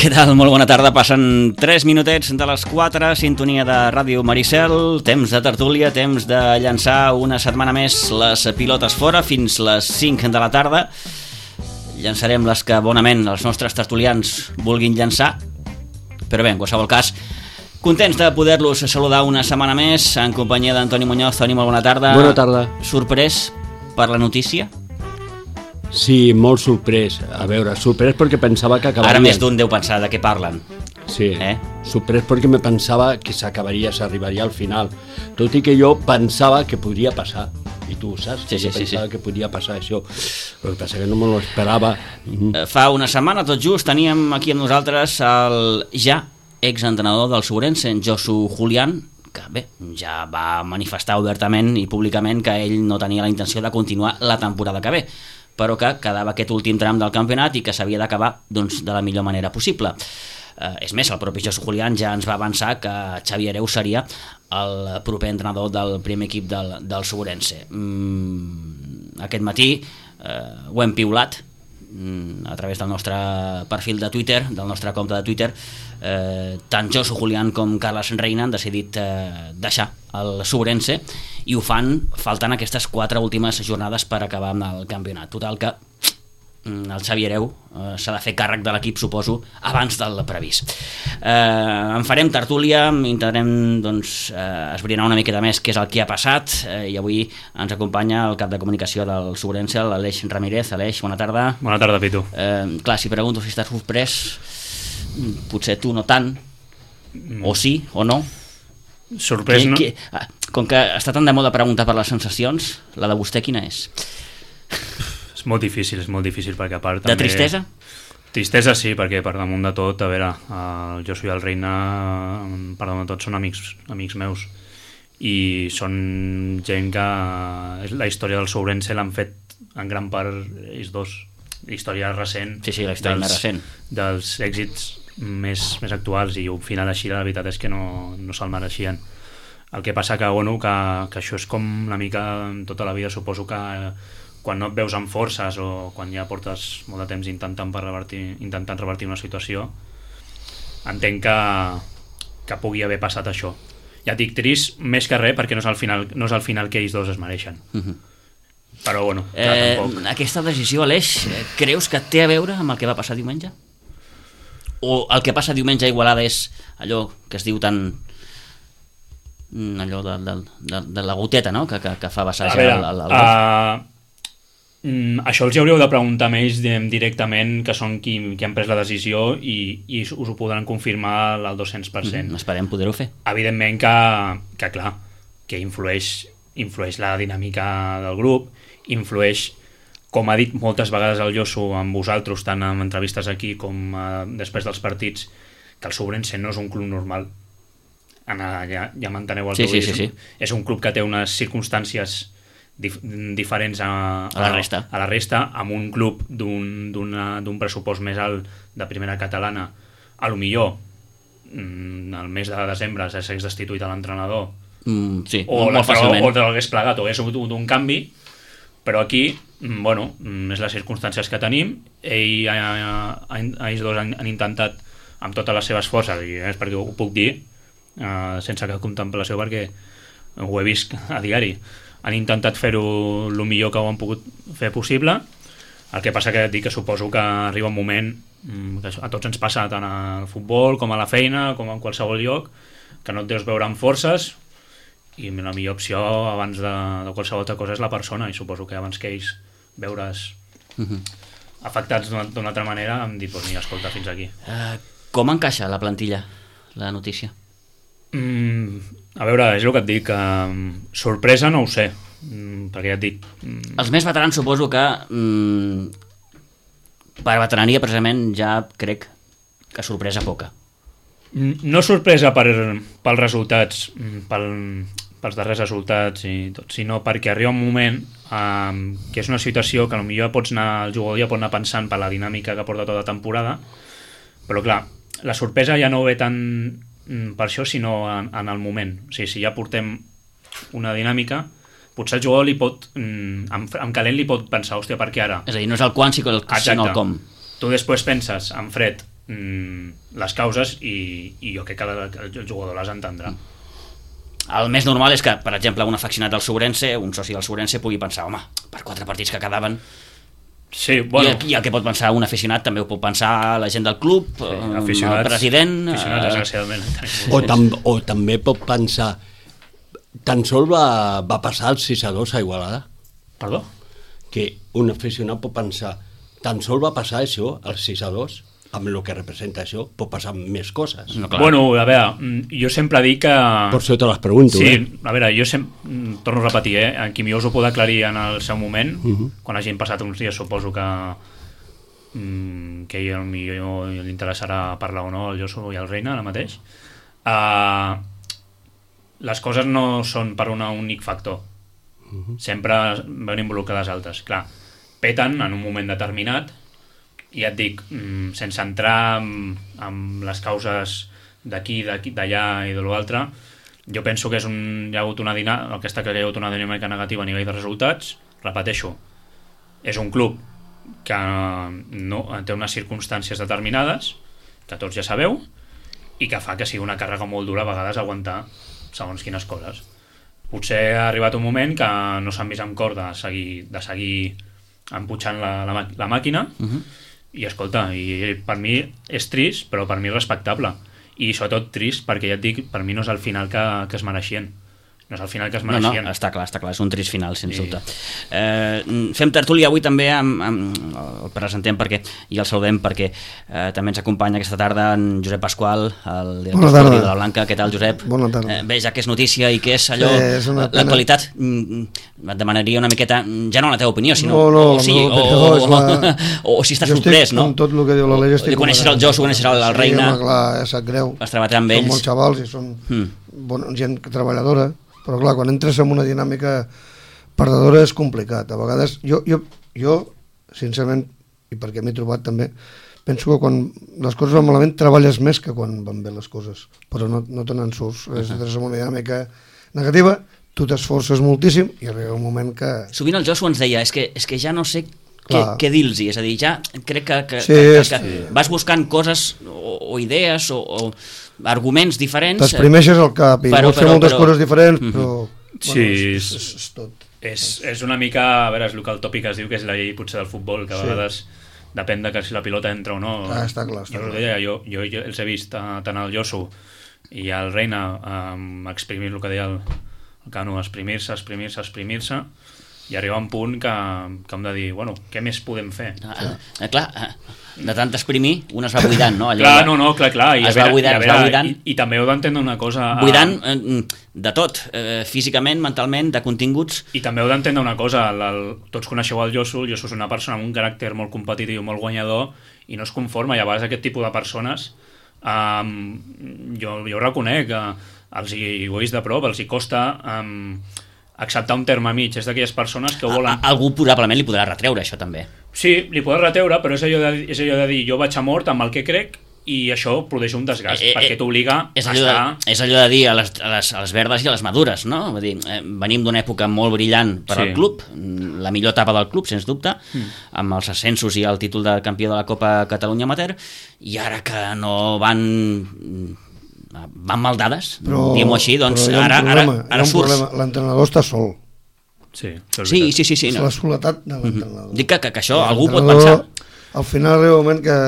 Què tal? Molt bona tarda. Passen 3 minutets de les 4, sintonia de Ràdio Maricel, temps de tertúlia, temps de llançar una setmana més les pilotes fora fins les 5 de la tarda. Llançarem les que bonament els nostres tertulians vulguin llançar, però bé, en qualsevol cas, contents de poder-los saludar una setmana més en companyia d'Antoni Muñoz. Toni, molt bona tarda. Bona tarda. Sorprès per la notícia? Sí, molt sorprès. A veure, sorprès perquè pensava que acabaria... Ara més d'un deu pensar de què parlen. Sí, sorprès perquè me pensava que s'arribaria al final. Tot i que jo pensava que podria passar. I tu ho saps, pensava que podia passar això. Però el que passa que no me lo esperava. Fa una setmana, tot just, teníem aquí amb nosaltres el ja exentrenador del Ourense, en Josu Julián, que bé, ja va manifestar obertament i públicament que ell no tenia la intenció de continuar la temporada que ve, però que quedava aquest últim tram del campionat i que s'havia d'acabar doncs, de la millor manera possible. És més, el propi Josu Julián ja ens va avançar que Xavi Hereu seria el proper entrenador del primer equip del Ourense. Aquest matí ho hem piulat a través del nostre perfil de Twitter, del nostre compte de Twitter. Tant Josu Julián com Carles Reina han decidit deixar el Ourense i ho fan faltant aquestes 4 últimes jornades per acabar amb el campionat. Total que el Xavi Hereu s'ha de fer càrrec de l'equip, suposo, abans del previst. En farem tertúlia, intentarem esbrinar una miqueta més què és el que ha passat, i avui ens acompanya el cap de comunicació del Ourense, l'Aleix Ramírez. Aleix, bona tarda. Bona tarda, Pitu. Clar, si pregunto si estàs sorprès, potser tu no tant, o sí o no. Sorprès, no? Com que està tan de moda preguntar per les sensacions, la de vostè quina és? És molt difícil, perquè a part també... De tristesa? Tristesa sí, perquè per damunt de tot, a veure, el Josu i el Reina, per damunt de tot, són amics meus. I són gent que la història del Ourense l'han fet en gran part ells dos. La història recent. Sí, la història més recent. Dels èxits més actuals, i un final així la veritat és que no se'l mereixien. El que passa que això és com una mica tota la vida. Suposo que quan no et veus amb forces o quan ja portes molt de temps intentant revertir una situació, entenc que pugui haver passat això. Ja et dic, trist més que res perquè no és el final que ells dos es mereixen. Però bueno, tampoc. Aquesta decisió, Aleix, creus que té a veure amb el que va passar diumenge? O el que passa diumenge a Igualada és allò que es diu tan... allò de la goteta, no?, que fa vessar el això els hauríeu de preguntar a ells directament, que són qui han pres la decisió, i us ho podran confirmar al 200%. Esperem poder-ho fer. Evidentment que clar, que influeix la dinàmica del grup, influeix, com ha dit moltes vegades el Josu amb vosaltres, tant en entrevistes aquí com després dels partits, que el Ourense no és un club normal. Ja m'enteneu el que vull dir. Sí. És un club que té unes circumstàncies diferents a la resta, amb un club d'un pressupost més alt de primera catalana. A lo millor el mes de desembre s'hagués destituït a l'entrenador, o l'hagués plegat, o hagués hagut un canvi, però aquí és les circumstàncies que tenim. Ells dos han intentat amb totes les seves forces, i és perquè ho puc dir sense cap contemplació perquè ho he vist a diari, han intentat fer-ho el millor que ho han pogut fer possible. El que passa que et dic que suposo que arriba un moment que a tots ens passa, tant al futbol com a la feina com en qualsevol lloc, que no et deus veure amb forces, i la millor opció abans de qualsevol altra cosa és la persona, i suposo que abans que ells veure's afectats d'una altra manera, em dic, mira, escolta, fins aquí. Com encaixa la plantilla la notícia? A veure, és el que et dic, sorpresa no ho sé, perquè ja et dic... Els més veterans suposo que per veterania precisament ja crec que sorpresa poca. No sorpresa pels resultats, pels darrers resultats i tot, sinó perquè arriba un moment que és una situació que potser el jugador ja pot anar pensant per la dinàmica que porta tota la temporada, però clar, la sorpresa ja no ve tant per això, sinó en el moment. O sigui, si ja portem una dinàmica, potser el jugador li pot, en calent li pot pensar, hòstia, per què ara? És a dir, no és el quan, sinó el com. Tu després penses, en fred, les causes i jo crec que el jugador les entendrà. El més normal és que, per exemple, un afeccionat del Sobrense, un soci del Sobrense, pugui pensar, home, per 4 partits que quedaven... Sí, bueno... I el que pot pensar un aficionat també ho pot pensar la gent del club, el president... Desgraciadament. O també pot pensar, tan sols va passar el 6-2 a Igualada. Perdó? Que un aficionat pot pensar, tan sols va passar això, el 6-2, amb el que representa això, pot passar més coses. No, bueno, a veure, jo sempre dic que... Per això te les pregunto. Sí, a veure, jo torno a repetir, en Quimiós ho pot aclarir en el seu moment, quan hagin passat uns dies, suposo que ell millor li interessarà parlar o no, el Josu i el Reina ara mateix. Les coses no són per un únic factor. Sempre veuen involucrades altres. Clar, peten en un moment determinat, i et dic, sense entrar en les causes d'aquí, d'allà i de l'altre, jo penso que hi ha hagut una dinàmica negativa a nivell de resultats. Repeteixo, és un club que no té unes circumstàncies determinades, que tots ja sabeu, i que fa que sigui una càrrega molt dura a vegades aguantar segons quines coses. Potser ha arribat un moment que no s'han vist amb cor de seguir empujant la màquina, i escolta, i per mi és trist, però per mi és respectable, i sobretot trist perquè ja et dic, per mi no és el final que es mereixien. No és el final que es mereixien. No, està clar, és un trist final, sens dubte. Fem tertúlia avui també, el presentem i el saludem perquè també ens acompanya aquesta tarda en Josep Pasqual, el director esportiu de la Blanca. Què tal, Josep? Bona tarda. Bé, ja que és notícia i que és allò, l'actualitat, et demanaria una miqueta, ja no la teva opinió, sinó o si estàs sorprès, no? Jo estic amb tot el que diu la Lella. Coneixes el Josu, coneixes el Reina. Sí, clar, sap greu. Vas treballar amb ells. Són molts xavals i són gent treballadora. Però clar, quan entres en una dinàmica perdedora és complicat. A vegades, jo sincerament, i perquè m'he trobat també, penso que quan les coses van malament treballes més que quan van bé les coses, però no te n'en surts. Entres en una dinàmica negativa, tu t'esforces moltíssim i arriba un moment que... Sovint el Josu ens deia, és que ja no sé què dir-los, és a dir, ja crec que vas buscant coses o idees o arguments diferents. T'exprimeixes el cap i vols fer moltes coses diferents, però sí, és tot. És una mica, a veure, és el que el tòpic es diu que és la llei potser del futbol, que a vegades depèn de que si la pilota entra o no. Està clar. Jo els he vist tant el Josu i el Reina exprimir el que deia el Cano, exprimir-se i arriba un punt que hem de dir, bueno, què més podem fer? Clar, de tant exprimir, un es va buidant, no? Clar. Es va buidant. I també heu d'entendre una cosa... Buidant de tot, físicament, mentalment, de continguts. I també heu d'entendre una cosa, tots coneixeu el Josu és una persona amb un caràcter molt competitiu, molt guanyador, i no es conforma, i a vegades aquest tipus de persones, jo ho reconec, ho he vist de prop, els hi costa... acceptar un terme mig, és d'aquelles persones que volen... Algú probablement li podrà retreure això també. Sí, li podrà retreure, però és allò de dir jo vaig a mort amb el que crec i això produeix un desgast, perquè t'obliga a estar... És allò de dir a les verdes i a les madures, no? Vull dir, venim d'una època molt brillant per al club, la millor etapa del club, sens dubte, amb els ascensos i el títol de campió de la Copa Catalunya Amateur, i ara que no van maldades, diguem-ho així, doncs ara surts. L'entrenador està sol. Sí. És la soledat de l'entrenador. Dic que això algú pot pensar. Al final arriba un moment que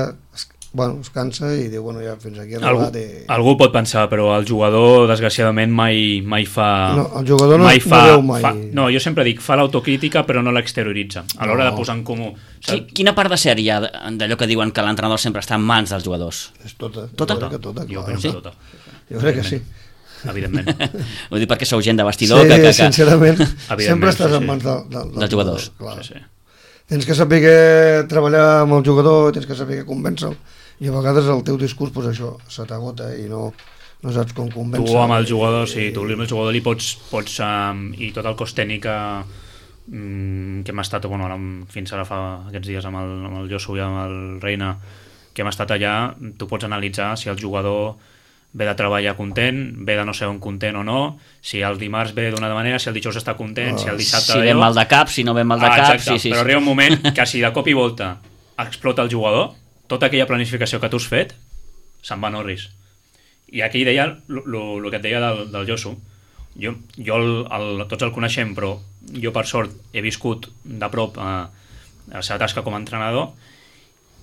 es cansa i diu, bueno, ja fins aquí ha arribat. Algú pot pensar, però el jugador, desgraciadament, mai fa... No, el jugador no veu mai. No, jo sempre dic, fa l'autocrítica, però no l'exterioritza. A l'hora de posar en comú... Quina part de ser hi ha d'allò que diuen que l'entrenador sempre està en mans dels jugadors? És tota. Tota? Jo penso tota. Jo crec que sí. Evidentment. Vull dir perquè sou gent de vestidor que sincerament, sempre estàs en mans dels jugadors. Tens que saber treballar amb el jugador, tens que saber convèncer-lo, i a vegades el teu discurs, doncs això, se t'agota i no saps com convèncer. Tu amb el jugador, tu amb el jugador li pots i tot el cos tècnic que hem estat, fins ara fa aquests dies amb el Josu i amb el Reina, que hem estat allà, tu pots analitzar si el jugador ve de treballar content, ve de no ser un content o no, si el dimarts ve d'una manera, si el dijous està content, si el dissabte... Si ve mal de cap, si no ve mal de cap... Exacte, però arriba un moment que si de cop i volta explota el jugador, tota aquella planificació que tu has fet se'n va a Norris. I aquí deia el que et deia del Josu. Tots el coneixem, però jo per sort he viscut de prop la seva tasca com a entrenador,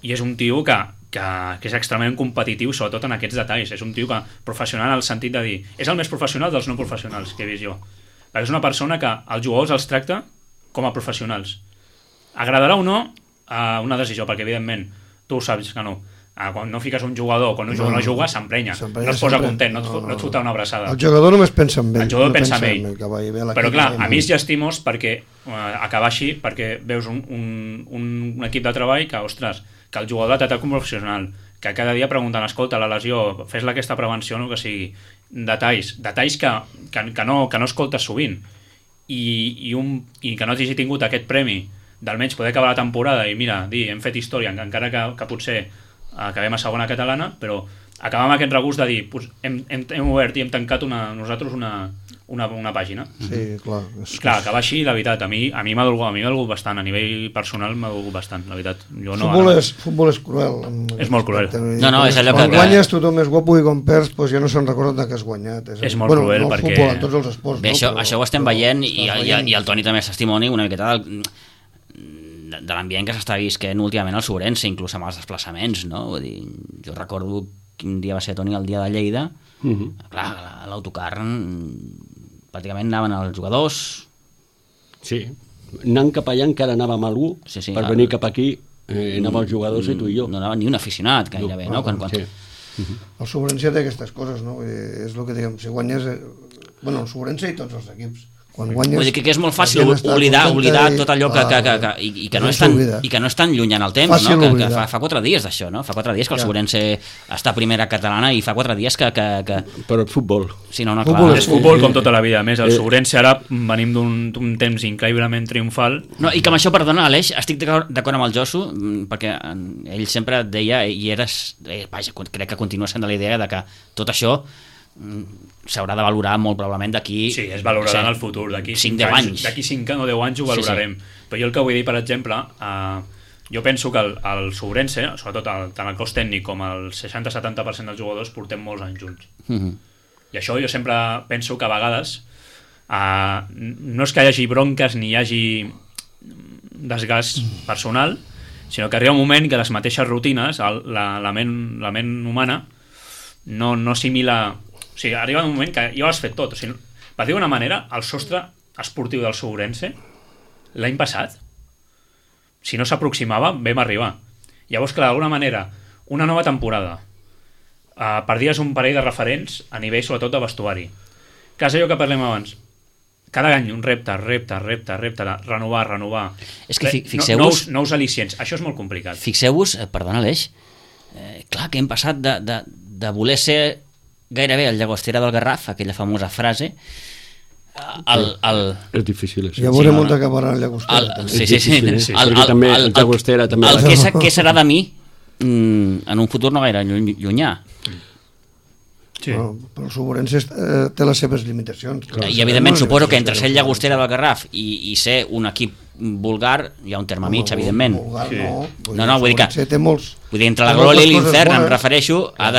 i és un tio que és extremadament competitiu, sobretot en aquests detalls. És un tio professional en el sentit de dir, és el més professional dels no professionals que he vist jo, perquè és una persona que els jugadors els tracta com a professionals. Agradarà o no una decisió, perquè evidentment tu ho saps que no. Quan no fiques un jugador, quan un jugador no juga, s'emprenya, no es posa content, no et fota una abraçada. El jugador només pensa en ell. El jugador pensa en ell. Però clar, a mi és llastimós perquè acabar així, perquè veus un equip de treball que, ostres, que el jugador tracta com professional, que cada dia pregunten, escolta, la lesió, fes-la aquesta prevenció, no que sigui, detalls que no escoltes sovint, i que no hagi tingut aquest premi d'almenys poder acabar la temporada i mira, hem fet història, encara que potser acabem a segona catalana, però acabar amb aquest regust de dir hem obert i hem tancat nosaltres una pàgina. Sí, clar. Clar, acabar així, la veritat, a mi m'ha dolgut bastant, a nivell personal m'ha dolgut bastant, la veritat. Futbol és cruel. És molt cruel. No, és allò que... Quan guanyes tothom és guapo i quan perds ja no se'n recorden que has guanyat. És molt cruel perquè... Futbol, en tots els esports. Bé, això ho estem veient i el Toni també és testimoni una miqueta de l'ambient que s'està visquent últimament al Sobrense, inclús amb els desplaçaments, no? Vull dir, jo recordo quin dia va ser, Toni, el dia de Lleida. Clar, a l'autocar pràcticament anaven els jugadors. Sí, anant cap allà encara anàvem algú, per venir cap aquí anàvem els jugadors i tu i jo. No anava ni un aficionat gairebé, no? Sí. El Sobrense té aquestes coses, no? És el que diguem, si guanyes... Bueno, el Sobrense i tots els equips. Guanyes, vull dir que és molt fàcil oblidar tot allò que no és tan lluny en el temps, no? Que fa 4 dies d'això, no? Fa 4 dies que el Sobrense està a primera catalana i fa 4 dies que... Però el futbol. Sí, no, clar. És futbol com tota la vida. A més, el Sobrense ara venim d'un temps increïblement triomfal. No, i que amb això, perdona, Aleix, estic d'acord amb el Josu, perquè ell sempre deia, i vaja, crec que continua sent de la idea de que tot això s'haurà de valorar molt probablement d'aquí... Sí, es valorarà en el futur, d'aquí 5 anys. D'aquí 5 o 10 anys ho valorarem. Però jo el que vull dir, per exemple, jo penso que el Sobrense, sobretot tant el cos tècnic com el 60-70% dels jugadors, portem molts anys junts. I això jo sempre penso que a vegades no és que hi hagi bronques ni hi hagi desgast personal, sinó que arriba un moment que les mateixes rutines, la ment humana, no assimila... O sigui, arriba un moment que ja ho has fet tot. O sigui, per dir d'una manera, el sostre esportiu del Sobrense l'any passat, si no s'aproximava, vam arribar. Llavors, clar, d'alguna manera, una nova temporada, perdies un parell de referents a nivell, sobretot, de vestuari. Que és allò que parlem abans. Cada any un repte, renovar. És que fixeu-vos... Nous al·licients. Això és molt complicat. Fixeu-vos, perdona, Aleix, clar que hem passat de voler ser gairebé el llagostera del Garraf, aquella famosa frase, és difícil això. Ja veurem on acabarà el llagostera. Sí. Perquè també el llagostera també... Què serà de mi en un futur no gaire llunyà. Sí. Però el Sobrense té les seves limitacions. I evidentment suposo que entre ser el llagostera del Garraf i ser un equip vulgar hi ha un terme mig, evidentment. Vulgar no, vull dir que entre la glòria i l'infern, em refereixo, ha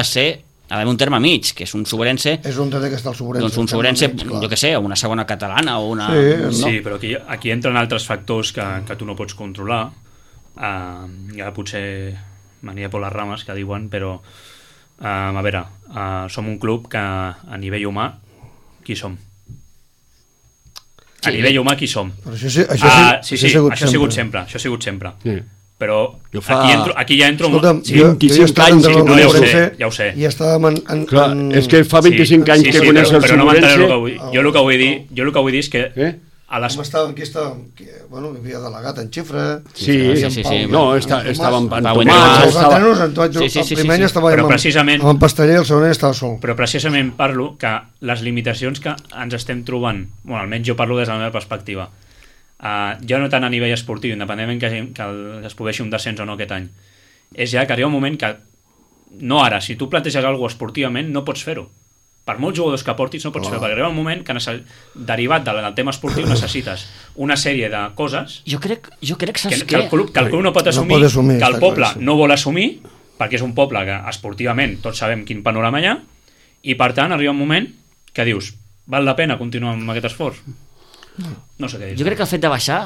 d'haver un terme mig, que és un Sobrense... És on té que estar el Sobrense. Doncs un Sobrense, jo què sé, una segona catalana o una... Sí, però aquí entren altres factors que tu no pots controlar. Ja potser mania por les rames, que diuen, però a veure, som un club que a nivell humà, qui som? A nivell humà, qui som? Però això ha sigut sempre. Però aquí ja entro... Escolta'm, jo he estat en ja ho sé. I estàvem Clar, és que fa 25 anys que coneix el Sobrense... Jo el que vull dir és que... Aquí estàvem, bueno, hi havia delegat en Xifra... Sí. No, estàvem en Tomàs... El primer any estàvem amb Pasteller i el segon any estava sol. Però precisament parlo que les limitacions que ens estem trobant, bueno, almenys jo parlo des de la meva perspectiva, ja no tant a nivell esportiu, independentment que es produeixi un descens o no aquest any, és ja que arriba un moment que no ara, si tu planteges alguna cosa esportivament no pots fer-ho, per molts jugadors que portis no pots fer-ho, perquè arriba un moment que derivat del tema esportiu necessites una sèrie de coses jo crec que el club no pot assumir, que el poble no vol assumir perquè és un poble que esportivament tots sabem quin panorama hi ha, i per tant arriba un moment que dius, val la pena continuar amb aquest esforç? No sé què dir. Jo crec que el fet de baixar...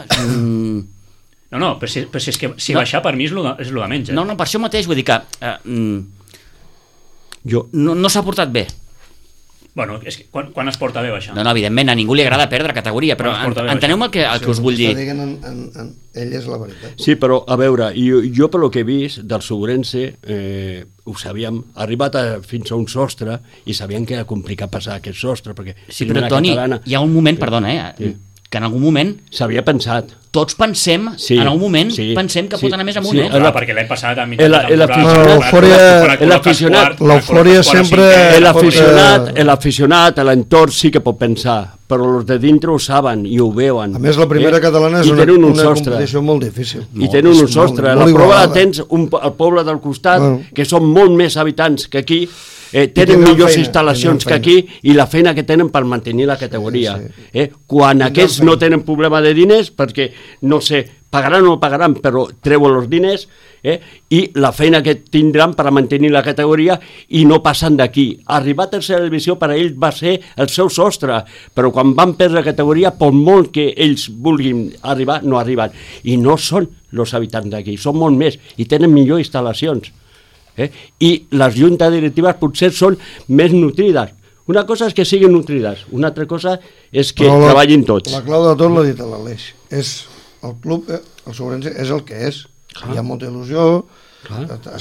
No, però si és que si baixar per mi és lo de menys. No, per això mateix vull dir que no s'ha portat bé. Bueno, és que quan es porta bé baixar? No, evidentment, a ningú li agrada perdre categoria, però enteneu-me el que us vull dir. Ell és la veritat. Sí, però a veure, jo pel que he vist del Segurense, ho sabíem, arribat fins a un sostre i sabíem que era complicat passar aquest sostre, perquè... Sí, però Toni, hi ha un moment, perdona, que en algun moment... S'havia pensat. Tots pensem, en algun moment, pensem que pot anar més amunt, perquè l'any passat a mitjà l'eufòria sempre... L'aficionat, l'entorn sí que pot pensar, però els de dintre ho saben i ho veuen. A més, la primera catalana és una competició molt difícil. I tenen un sostre. La prova la tens al poble del costat, que són molt més habitants que aquí, tenen millors instal·lacions que aquí i la feina que tenen per mantenir la categoria. Quan aquests no tenen problema de diners, perquè, no sé, pagaran o no pagaran, però treuen els diners, i la feina que tindran per mantenir la categoria i no passen d'aquí. Arribar a tercera divisió per a ells va ser el seu sostre, però quan van perdre la categoria, per molt que ells vulguin arribar, no arriben. I no són els habitants d'aquí, són molt més i tenen millors instal·lacions. I les juntes directives potser són més nutrides. Una cosa és que siguin nutrides, una altra cosa és que treballin tots. La clau de tot l'ha dit l'Aleix. El club, el Segurense, és el que és. Hi ha molta il·lusió.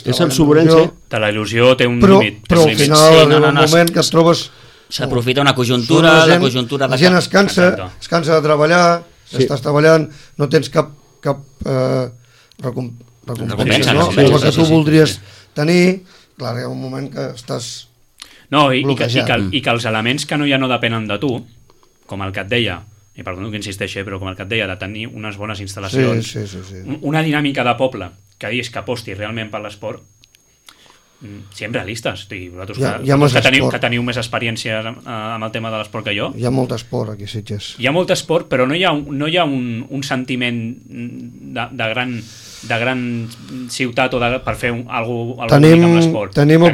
És el Segurense. La il·lusió té un límit. Però al final arriba un moment que et trobes... S'aprofita una conjunta, la conjuntura... La gent es cansa de treballar, estàs treballant, no tens cap recompensa, no? El que tu voldries tenir, clar, hi ha un moment que estàs bloquejat. I que els elements que no depenen de tu, com el que et deia, i perdó que insisteixi, però com el que et deia, de tenir unes bones instal·lacions, una dinàmica de poble que diguis que aposti realment per l'esport, siguem realistes. Que teniu més experiència amb el tema de l'esport que jo. Hi ha molt esport aquí, Sitges. Hi ha molt esport, però no hi ha un sentiment de gran ciutat per fer alguna cosa amb l'esport. Tenim el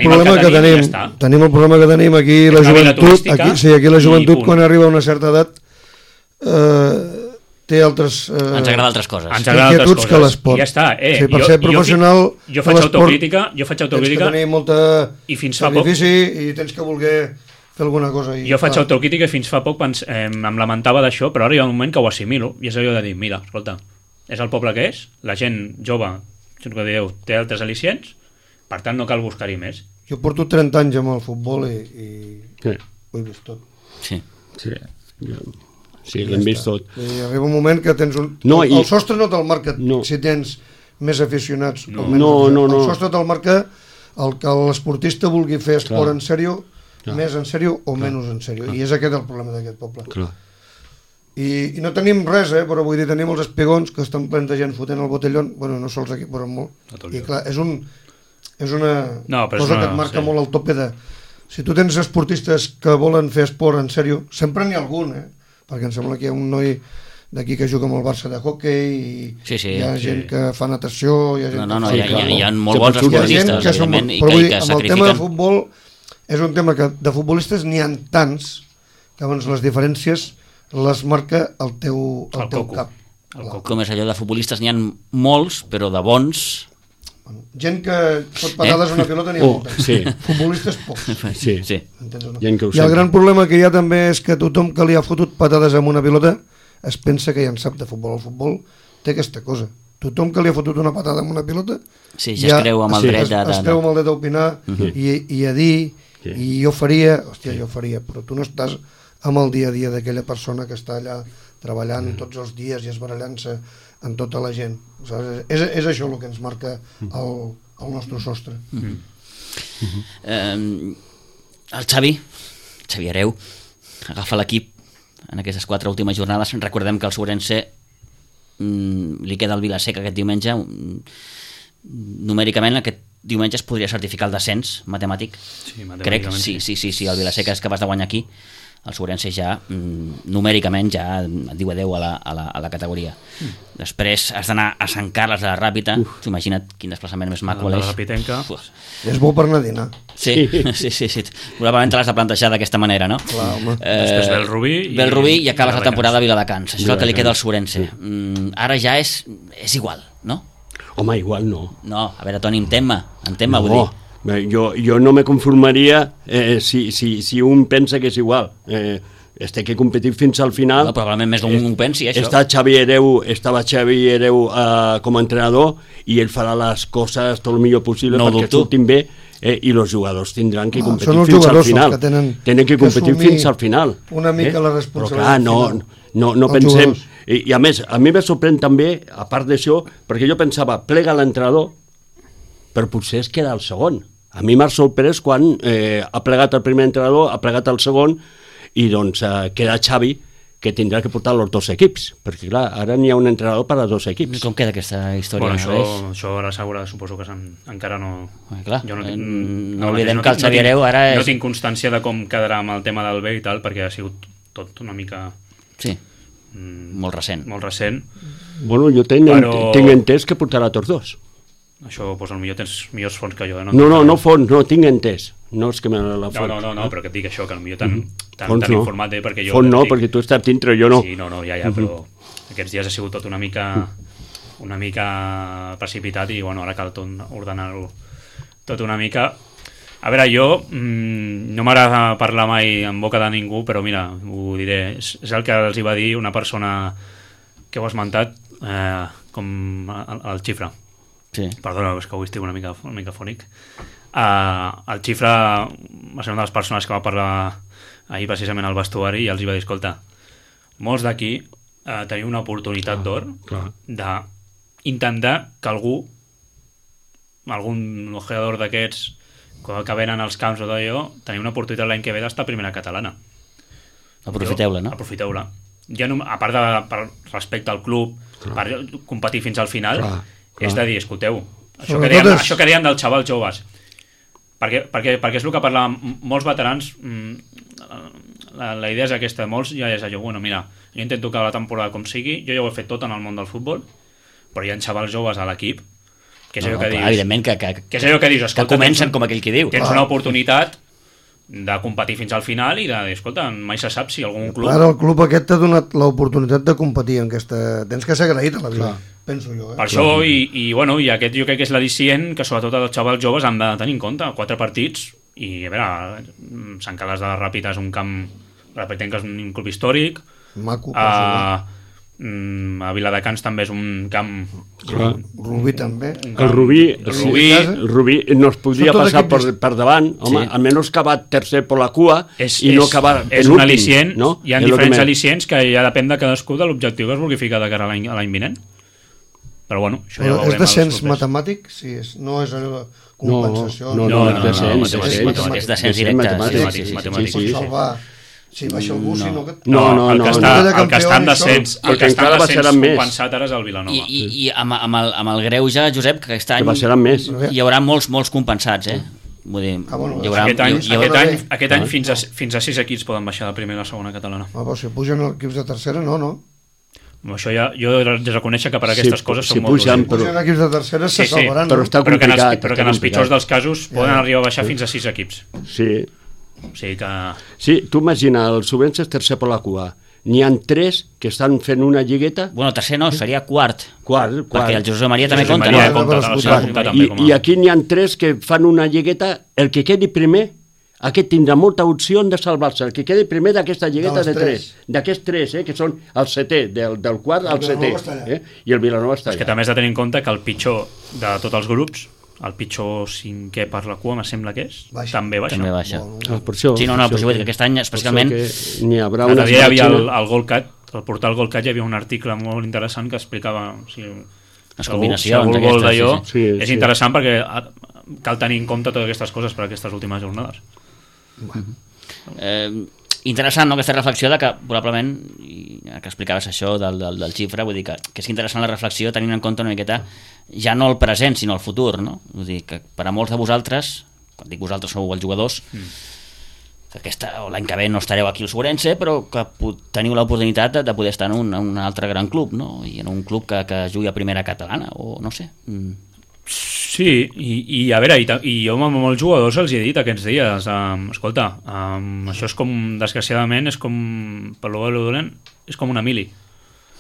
problema que tenim aquí la joventut. Aquí la joventut, quan arriba a una certa edat, té altres... Ens agrada altres coses. Ens agrada altres coses. Que l'esport. Ja està. Per ser professional... Jo faig autocrítica. Tens que tenir molta sacrifici i tens que voler fer alguna cosa. Jo faig autocrítica i fins fa poc em lamentava d'això, però ara hi ha un moment que ho assimilo i és allò de dir, mira, escolta, és el poble que és, la gent jove, té altres al·licients, per tant no cal buscar-hi més. Jo porto 30 anys amb el futbol i ho he vist tot. Sí, l'hem vist tot. I arriba un moment que tens el sostre no te'l marca si tens més aficionats o menys. El sostre te'l marca el que l'esportista vulgui fer esport en sèrio, més en sèrio o menys en sèrio. I és aquest el problema d'aquest poble. I no tenim res, però vull dir, tenim els espigons que estan plens de gent fotent el botellón, bueno, no sols aquí, però molt. I clar, és una cosa que et marca molt el tope de... Si tu tens esportistes que volen fer esport en sèrio, sempre n'hi ha algun, perquè em sembla que hi ha un noi d'aquí que juga amb el Barça de hoquei i hi ha gent que fa natació, hi ha molt bons esportistes, evidentment, i que sacrifiquen. Amb el tema de futbol és un tema que de futbolistes n'hi ha tants que llavors les diferències les marca el teu cap. Com és allò de futbolistes n'hi ha molts, però de bons... Gent que fot patades a una pilota n'hi ha moltes. Futbolistes pocs. I el gran problema que hi ha també és que tothom que li ha fotut patades amb una pilota es pensa que ja en sap de futbol. El futbol té aquesta cosa. Tothom que li ha fotut una patada amb una pilota ja es creu amb el dret es creu amb el dret a opinar i a dir i jo faria, però tu no estàs amb el dia a dia d'aquella persona que està allà treballant tots els dies i esbarallant-se en tota la gent. És això el que ens marca el nostre sostre. El Xavi Hereu agafa l'equip en aquestes 4 últimes jornades. Recordem que el Segurense li queda el Vila-seca aquest diumenge. Numèricament aquest diumenge es podria certificar el descens matemàtic. Sí, matemàticament. Crec, sí, el Vila-seca és capaç de guanyar aquí el Sobrense ja numèricament ja et diu adeu a la categoria. Després has d'anar a Sant Carles de la Ràpita. Imagina't quin desplaçament més maco la Ràpitenca. És bo per anar a dinar. Sí. Probablement te l'has de plantejar d'aquesta manera, no? Clar, home. Després ve el Rubí i acabes la temporada a Viladecans. Això és el que li queda al Sobrense. Ara ja és igual, no? Home, igual no. No, a veure, Toni, entén-me, vull dir. Jo no me conformaria si un pensa que és igual. Té que competir fins al final. No, probablement més d'un ho pensi, això. Estava Xavi Hereu com a entrenador i ell farà les coses tot el millor possible perquè surtin bé i els jugadors tindran que competir fins al final. Tenen que competir fins al final. Una mica la responsabilitat. Però clar, no pensem... I a més, a mi me sorprèn també, a part d'això, perquè jo pensava, plega l'entrenador, però potser es queda el segon. A mi m'ha sorprès quan ha plegat el primer entrenador, ha plegat el segon, i doncs queda Xavi, que tindrà que portar els dos equips, perquè clar, ara n'hi ha un entrenador per als dos equips. Com queda aquesta història? Bueno, això ara segura, suposo que encara no... Clar, no oblidem que el Xavi Hereu ara no tinc constància de com quedarà amb el tema del B i tal, perquè ha sigut tot una mica... Sí, molt recent. Bueno, jo tinc entès que portarà tots dos. Això, doncs potser tens millors fonts que jo. No fons, no, tinc entès. No és que me la fons. No, però que et dic això, que potser tan informat perquè jo... Font no, perquè tu estàs dintre, jo no. Sí, no, ja, però aquests dies ha sigut tot una mica precipitat i, bueno, ara cal ordenar-ho tot una mica. A veure, jo no m'agrada parlar mai en boca de ningú, però mira, ho diré, és el que els hi va dir una persona que ho ha esmentat, com el Xifra. Sí. Perdona, és que avui estic una mica fònic. El Xifra va ser una de les persones que va parlar ahir precisament al vestuari i els hi va dir, escolta, molts d'aquí teniu una oportunitat d'or d'intentar que algun jugador d'aquests que venen als camps o d'allò, teniu una oportunitat l'any que ve d'estar a primera catalana. Aprofiteu-la, no? Aprofiteu-la. Ja no, a part per respecte al club, per competir fins al final, és de dir, escolteu, això que deien dels xavals joves, perquè és el que parlaven molts veterans, la idea és aquesta, molts ja és allò, bueno, mira, jo intento que la temporada com sigui, jo ja ho he fet tot en el món del futbol, però hi ha xavals joves a l'equip, que és allò que dius... Evidentment que dius, escolta, que comencen com aquell qui diu. Tens una oportunitat de competir fins al final i de dir, escolta, mai se sap si algun club... Ara el club aquest t'ha donat l'oportunitat de competir en aquesta... Tens que ser agraït a la vida, penso jo. Per això, bueno, i aquest jo crec que és l'al·licient que sobretot els xavals joves han de tenir en compte. 4 partits, i a veure, Sant Carles de la Ràpita és un camp... Repetem que és un club històric. Maco. A Viladecans també és un camp... Rubí també. El Rubí no es podria passar per davant, home, almenys acabar tercer per la cua i no acabar penúltim. És un al·licient, hi ha diferents al·licients que ja depèn de cadascú de l'objectiu que es vulgui ficar de cara a l'any vinent. Però bueno, això ja ho veurem. És descens matemàtic? Sí, no és allò de compensació. No, és descens directe. Matemàtic. Si baixa algú, sinó que... El que està en descens compensat ara és el Vilanova. I amb el greuge, Josep, que aquest any hi haurà molts compensats, Vull dir, aquest any fins a 6 equips poden baixar de primera a segona catalana. Però si pugen equips de tercera, no. Això ja, jo he de reconèixer que per aquestes coses són molt durs. Si pugen equips de tercera se salvaran. Però que en els pitjors dels casos poden arribar a baixar fins a 6 equips. Sí. O sigui que... Sí, tu imagina, el Sobrense és tercer per la cua. N'hi ha 3 que estan fent una lligueta. Bueno, tercer no, seria quart. Perquè el Josep Maria també compta, no? I aquí n'hi ha 3 que fan una lligueta. El que quedi primer, aquest tindrà molta opció de salvar-se. El que quedi primer d'aquesta lligueta de 3. D'aquests 3, que són el setè, del quart al setè. I el Vilanova està allà. És que també has de tenir en compte que el pitjor de tots els grups, el pitjor 5è per la cua, me sembla que és, també baixa. Per això. Sí, però vull dir que aquest any, especialment... L'altre dia hi havia el Golcat, al portal Golcat hi havia un article molt interessant que explicava les combinacions d'aquestes. És interessant perquè cal tenir en compte totes aquestes coses per aquestes últimes jornades. Interessant, no?, aquesta reflexió de que probablement, que explicaves això del xifra, vull dir que és interessant la reflexió tenint en compte una miqueta ja no el present sinó el futur, no? Vull dir que per a molts de vosaltres, quan dic vosaltres sou els jugadors, l'any que ve no estareu aquí al Sobrense, però que teniu l'oportunitat de poder estar en un altre gran club, no? I en un club que jugui a primera catalana, o no sé. Sí, i a veure, i jo amb molts jugadors els he dit aquests dies, escolta, això és com, desgraciadament, és com, per lo dolent, és com una mili.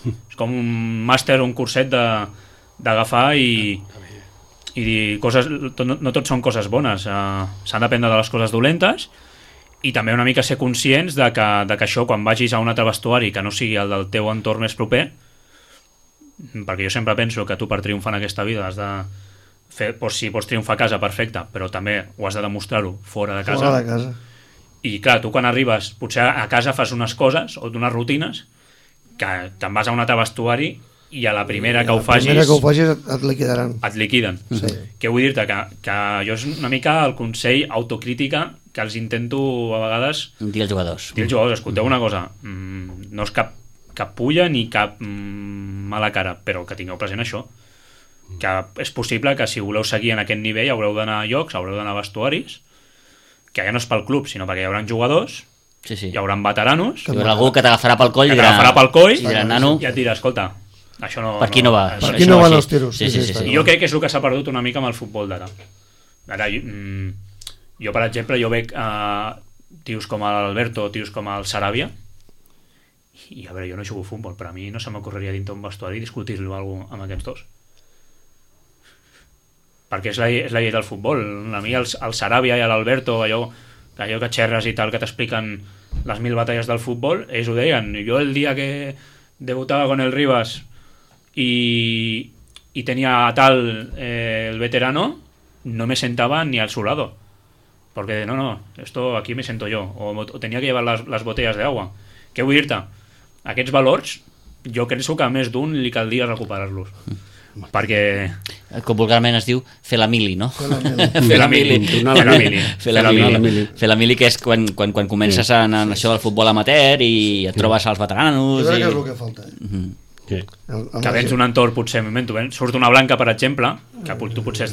És com un màster o un curset d'agafar i dir coses, no tot són coses bones, s'han d'aprendre de les coses dolentes i també una mica ser conscients de que això, quan vagis a un altre vestuari que no sigui el del teu entorn més proper, perquè jo sempre penso que tu per triomfar en aquesta vida has de fer, si pots triomfar a casa, perfecte, però també ho has de demostrar-ho fora de casa. Fora de casa. I clar, tu quan arribes, potser a casa fas unes coses o unes rutines que te'n vas a un altre vestuari i a la primera que ho facis et liquidaran. Et liquiden. Sí. Què vull dir-te? Que jo és una mica el consell autocrítica que els intento a vegades dir als jugadors. Escolteu una cosa, no és cap pulla ni cap mala cara, però que tingueu present això, que és possible que si voleu seguir en aquest nivell haureu d'anar a llocs, haureu d'anar a vestuaris, que ja no és pel club, sinó perquè hi haurà jugadors, hi haurà veteranos, hi haurà algú que t'agafarà pel coll i et dirà, escolta, això no... Per aquí no va. Per aquí no van els tiros. Sí. I jo crec que és el que s'ha perdut una mica amb el futbol d'ara. Ara, jo per exemple, jo veig tios com l'Alberto, tios com el Sarabia, i a veure, jo no jugo a futbol, però a mi no se m'ocorreria dintre un vestuari discutir-lo amb aquests dos. Perquè és la llei del futbol. A mi el Sarabia i l'Alberto, allò que xerres i tal, que t'expliquen les 1000 batalles del futbol, ells ho deien. Jo el dia que debutava con el Rivas y tenía a tal el veterano, no me sentaba ni al su lado, porque no, esto aquí me siento yo, o tenía que llevar las botellas de agua. Què vull dir-te? Aquests valors jo penso que a més d'un li caldria recuperar-los, perquè com vulgarment es diu fer la mili, no? Fer la mili, que és quan comences en això del futbol amateur i et trobes als veteranos. Jo crec que és el que falta. Que vens un entorn, potser surt una blanca, per exemple, que tu potser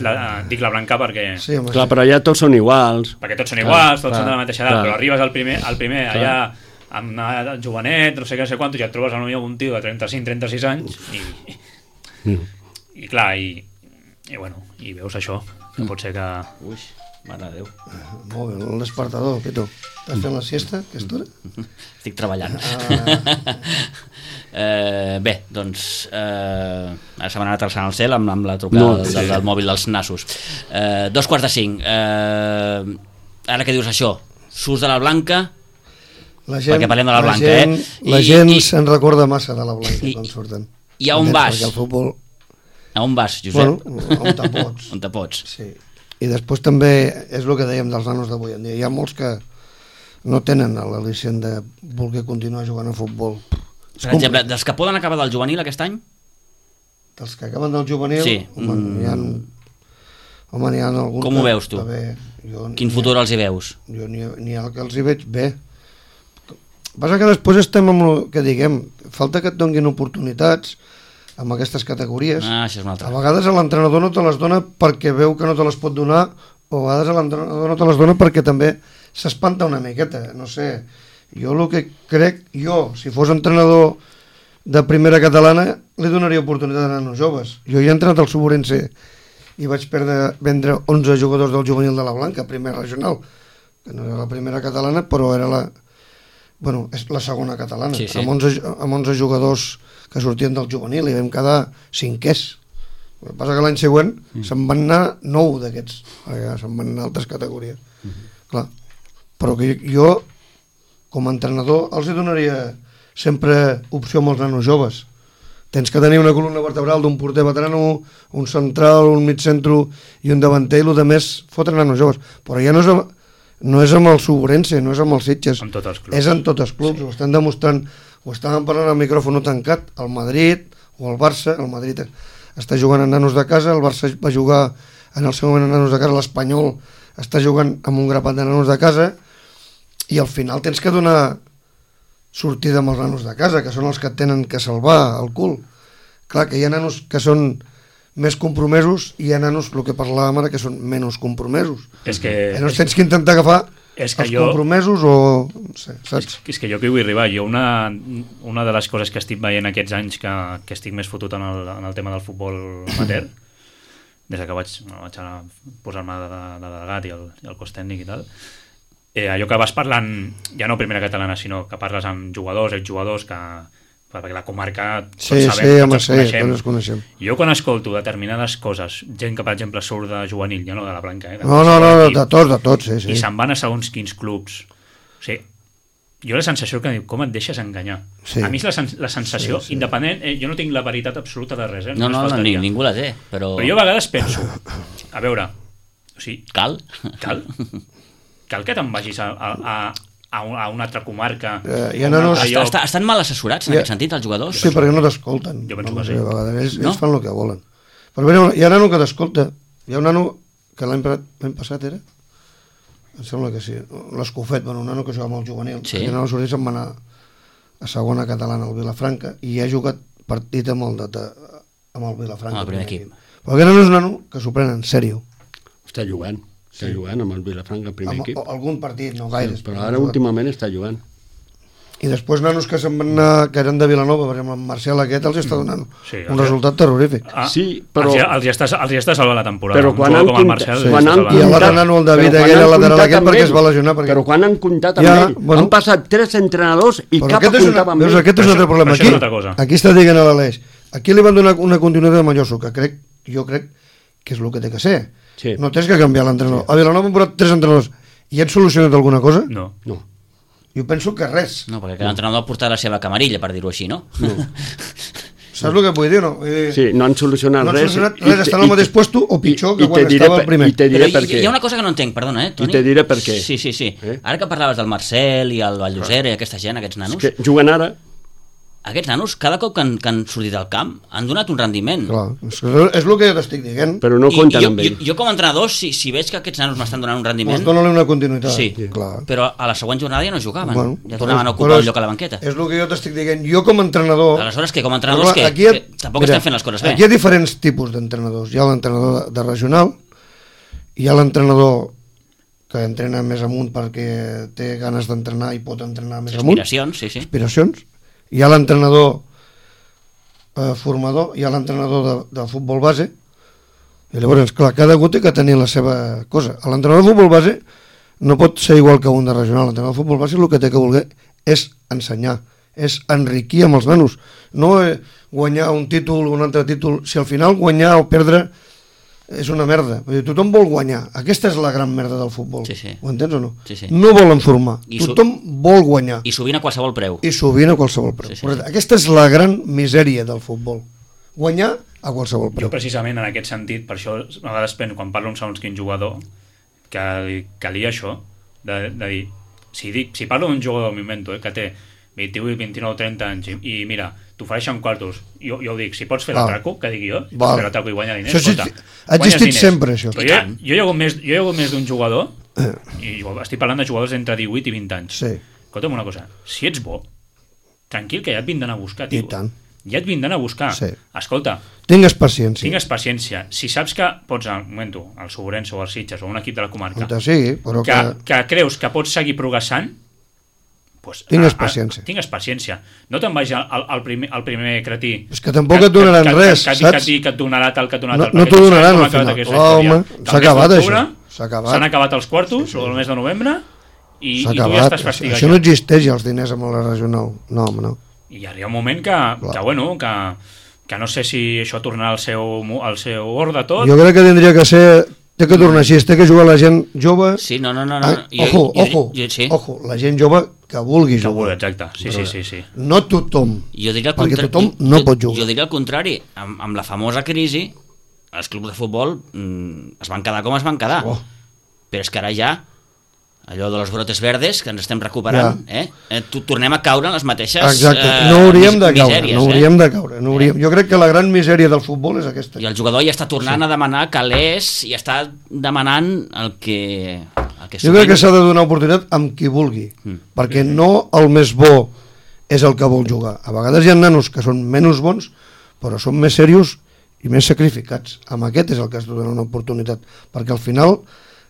dic la blanca perquè... Sí, clar, però allà tots són iguals. Perquè tots són iguals, tots són de la mateixa edat, però arribes al primer allà amb una edat jovenet, no sé què, no sé quant, i ja et trobes a un tio de 35-36 anys i clar, i bueno, i veus això, que pot ser que... Ui, mare de Déu. Molt bé, el despertador, Pitu. Estàs fent la siesta, aquesta hora? Estic treballant. Bé, doncs ara se m'ha anat alçant el cel amb la trucada del mòbil dels nassos. 4:45. Ara que dius això, surts de la blanca, perquè parlem de la blanca, la gent se'n recorda massa de la blanca quan surten. I a on vas? Perquè el futbol... A on vas, Josep? On te pots. On te pots. Sí. I després també és el que dèiem dels nanos d'avui en dia. Hi ha molts que no tenen l'al·licient de voler continuar jugant a futbol. Per exemple, dels que poden acabar del juvenil aquest any? Dels que acaben del juvenil? Sí. N'hi ha alguns... Com ho veus tu? Quin futur els hi veus? Jo n'hi ha que els hi veig bé. Passa que després estem amb el que diguem, falta que et donin oportunitats amb aquestes categories. Això és una altra. A vegades l'entrenador no te les dona perquè veu que no te les pot donar, o a vegades l'entrenador no te les dona perquè també s'espanta una miqueta, no sé. Jo el que crec, si fos entrenador de primera catalana, li donaria oportunitat a nanos joves. Jo hi he entrenat al Suborense i vaig vendre 11 jugadors del juvenil de la Blanca, primera regional, que no era la primera catalana, però era és la segona catalana, sí. Amb 11 jugadors que sortien del juvenil i vam quedar 5è. El que passa que l'any següent se'n van anar 9 d'aquests, se'n van anar altres categories. Clar. Però que jo, com a entrenador, els donaria sempre opció amb els nanos joves. Tens que tenir una columna vertebral d'un porter veterano, un central, un migcentro i un davanter, i el més fotre nanos joves. Però ja no és amb el Suborense, no és amb els Sitges, és en tots els clubs, ho estan demostrant, ho estàvem parlant al micròfon tancat, el Madrid o el Barça. El Madrid està jugant a nanos de casa, el Barça va jugar en el seu moment a nanos de casa, l'Espanyol està jugant amb un grapat de nanos de casa, i al final tens que donar sortida amb els nanos de casa, que són els que tenen que salvar el cul. Clar, que hi ha nanos que són més compromesos i hi ha nanos, el que parlàvem ara, que són menys compromesos. És que... Llavors tens que intentar agafar compromesos o... No sé, saps? És que jo que hi vull arribar. Jo una de les coses que estic veient aquests anys que estic més fotut en el tema del futbol amateur, des que vaig posar-me de delegat i el cos tècnic i tal, allò que vas parlant, ja no primera catalana, sinó que parles amb jugadors, exjugadors, perquè la comarca tots sabem, tots ens coneixem. Jo quan escolto determinades coses, gent que per exemple surt de juvenil, ja no de la Blanca, no, de tots, sí. I se'n van a segons quins clubs. O sigui, jo la sensació que com et deixes enganyar. Sí. A mi és la sensació, independent, jo no tinc la veritat absoluta de res. No, ningú la té. Però jo a vegades penso, a veure, o sigui, cal que te'n vagis a una altra comarca. Estan mal assessorats en aquest sentit, els jugadors? Sí, perquè no t'escolten. Jo penso que sí. Ells fan el que volen. Però bé, hi ha nano que t'escolta. Hi ha un nano que l'any passat era? Em sembla que sí. L'Escofet, un nano que juga amb el juvenil. Sí. I no se'n va anar a segona catalana al Vilafranca i ha jugat partit amb el Vilafranca. Amb el primer equip. Però aquest nano és un nano que s'ho pren en sèrio. Està jugant amb el Vilafranca, el primer equip. Algun partit, no gaires. Però ara últimament està jugant. I després nanos que se'n van anar, que eren de Vilanova, per exemple, en Marcial aquest els està donant un resultat terrorífic. Sí, però... Els hi està salvant la temporada. Però quan han comptat... I l'altre nano, el David, aquell lateral aquest, perquè es va lesionar. Però quan han comptat amb ell, han passat 3 entrenadors i cap comptava amb ell. Aquest és un altre problema. Aquí està dient a l'Aleix. Aquí li van donar una continuïtat a Malloso, que jo crec que és el que té que ser. No tens que canviar l'entrenador. A Vilanova han posat 3 entrenadors i han solucionat alguna cosa? No. Jo penso que res. No, perquè cada entrenador ha portat la seva camarilla, per dir-ho així, no? Saps el que vull dir o no? Sí, no han solucionat res. Estan al mateix puesto o pitjor que quan estava el primer. Però hi ha una cosa que no entenc, perdona, Toni? I te diré per què. Sí. Ara que parlaves del Marcel i el Valllosera i aquesta gent, aquests nanos... És que juguen ara... Aquests nanos, cada cop que han sortit al camp, han donat un rendiment. Clar, és el que jo t'estic dient. Però no compten amb ell. Jo com a entrenador, si veig que aquests nanos m'estan donant un rendiment... Doncs dona-li una continuïtat. Sí, clar. Però a la següent jornada ja no jugaven. Ja tornaven a ocupar un lloc a la banqueta. És el que jo t'estic dient. Jo com a entrenador... Aleshores, com a entrenadors que tampoc estem fent les coses bé. Aquí hi ha diferents tipus d'entrenadors. Hi ha l'entrenador de regional, hi ha l'entrenador que entrena més amunt perquè té ganes d'entrenar i pot entrenar més amunt. Aspiracions. Hi ha l'entrenador formador, hi ha l'entrenador de futbol base, i llavors, clar, cada algú té que tenir la seva cosa. L'entrenador de futbol base no pot ser igual que un de regional. L'entrenador de futbol base el que té que voler és ensenyar, és enriquir amb els nanos, no guanyar un títol o un altre títol. Si al final guanyar o perdre és una merda. Tothom vol guanyar. Aquesta és la gran merda del futbol. Ho entens o no? No volen formar. Tothom vol guanyar. I sovint a qualsevol preu. Aquesta és la gran misèria del futbol. Guanyar a qualsevol preu. Jo precisament en aquest sentit, per això a vegades penso, quan parlo amb segons quin jugador, que calia això, de dir, si parlo d'un jugador, m'invento, que té 28, 29, 30 anys i mira, t'ofereixen quartos, jo ho dic, si pots fer l'atraco, que digui jo, si pots fer l'atraco i guanyar diners, escolta, ha existit sempre això. Però jo hi ha hagut més d'un jugador, i estic parlant de jugadors entre 18 i 20 anys. Escolta'm una cosa, si ets bo, tranquil, que ja et vindran a buscar, tio. Ja et vindran a buscar. Escolta, tingues paciència. Si saps que pots, al moment, el Sobrense o el Sitges o un equip de la comarca, que creus que pots seguir progressant, tingues paciència. No te'n vagis al primer cretí. És que tampoc et donaran res, saps? Que et donarà tal, que et donarà tal. No t'ho donaran al final. Home, s'ha acabat això. S'han acabat els quartos, o el mes de novembre, i tu ja estàs fastigat. Això no existeix ja, els diners amb la regional. No, home, no. I arriba un moment que no sé si això tornarà al seu ordre tot. Jo crec que tindria que ser... Té que tornar així, té que jugar la gent jove... Sí, no. Ojo, la gent jove que vulgui jugar. Exacte, sí. No tothom, perquè tothom no pot jugar. Jo diria al contrari, amb la famosa crisi, els clubs de futbol es van quedar com es van quedar. Però és que ara ja, allò de los brotes verdes, que ens estem recuperant, tornem a caure en les mateixes misèries. No hauríem de caure. Jo crec que la gran misèria del futbol és aquesta. I el jugador ja està tornant a demanar calés i està demanant el que jo crec que s'ha de donar oportunitat amb qui vulgui, perquè no el més bo és el que vol jugar. A vegades hi ha nanos que són menys bons, però són més serios i més sacrificats. Amb aquest és el que has de donar una oportunitat, perquè al final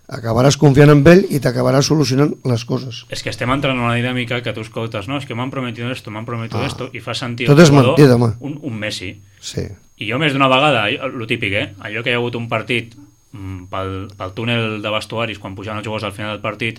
acabaràs confiant en ell i t'acabaràs solucionant les coses. És que estem entrant en una dinàmica que tu escoltes, no, és que m'han prometido esto, i fa sentir tot és mentida, home. un Messi. Sí. I jo més d'una vegada, lo típic, allò que hi ha hagut un partit pel túnel de vestuaris, quan pujaven els jugadors al final del partit,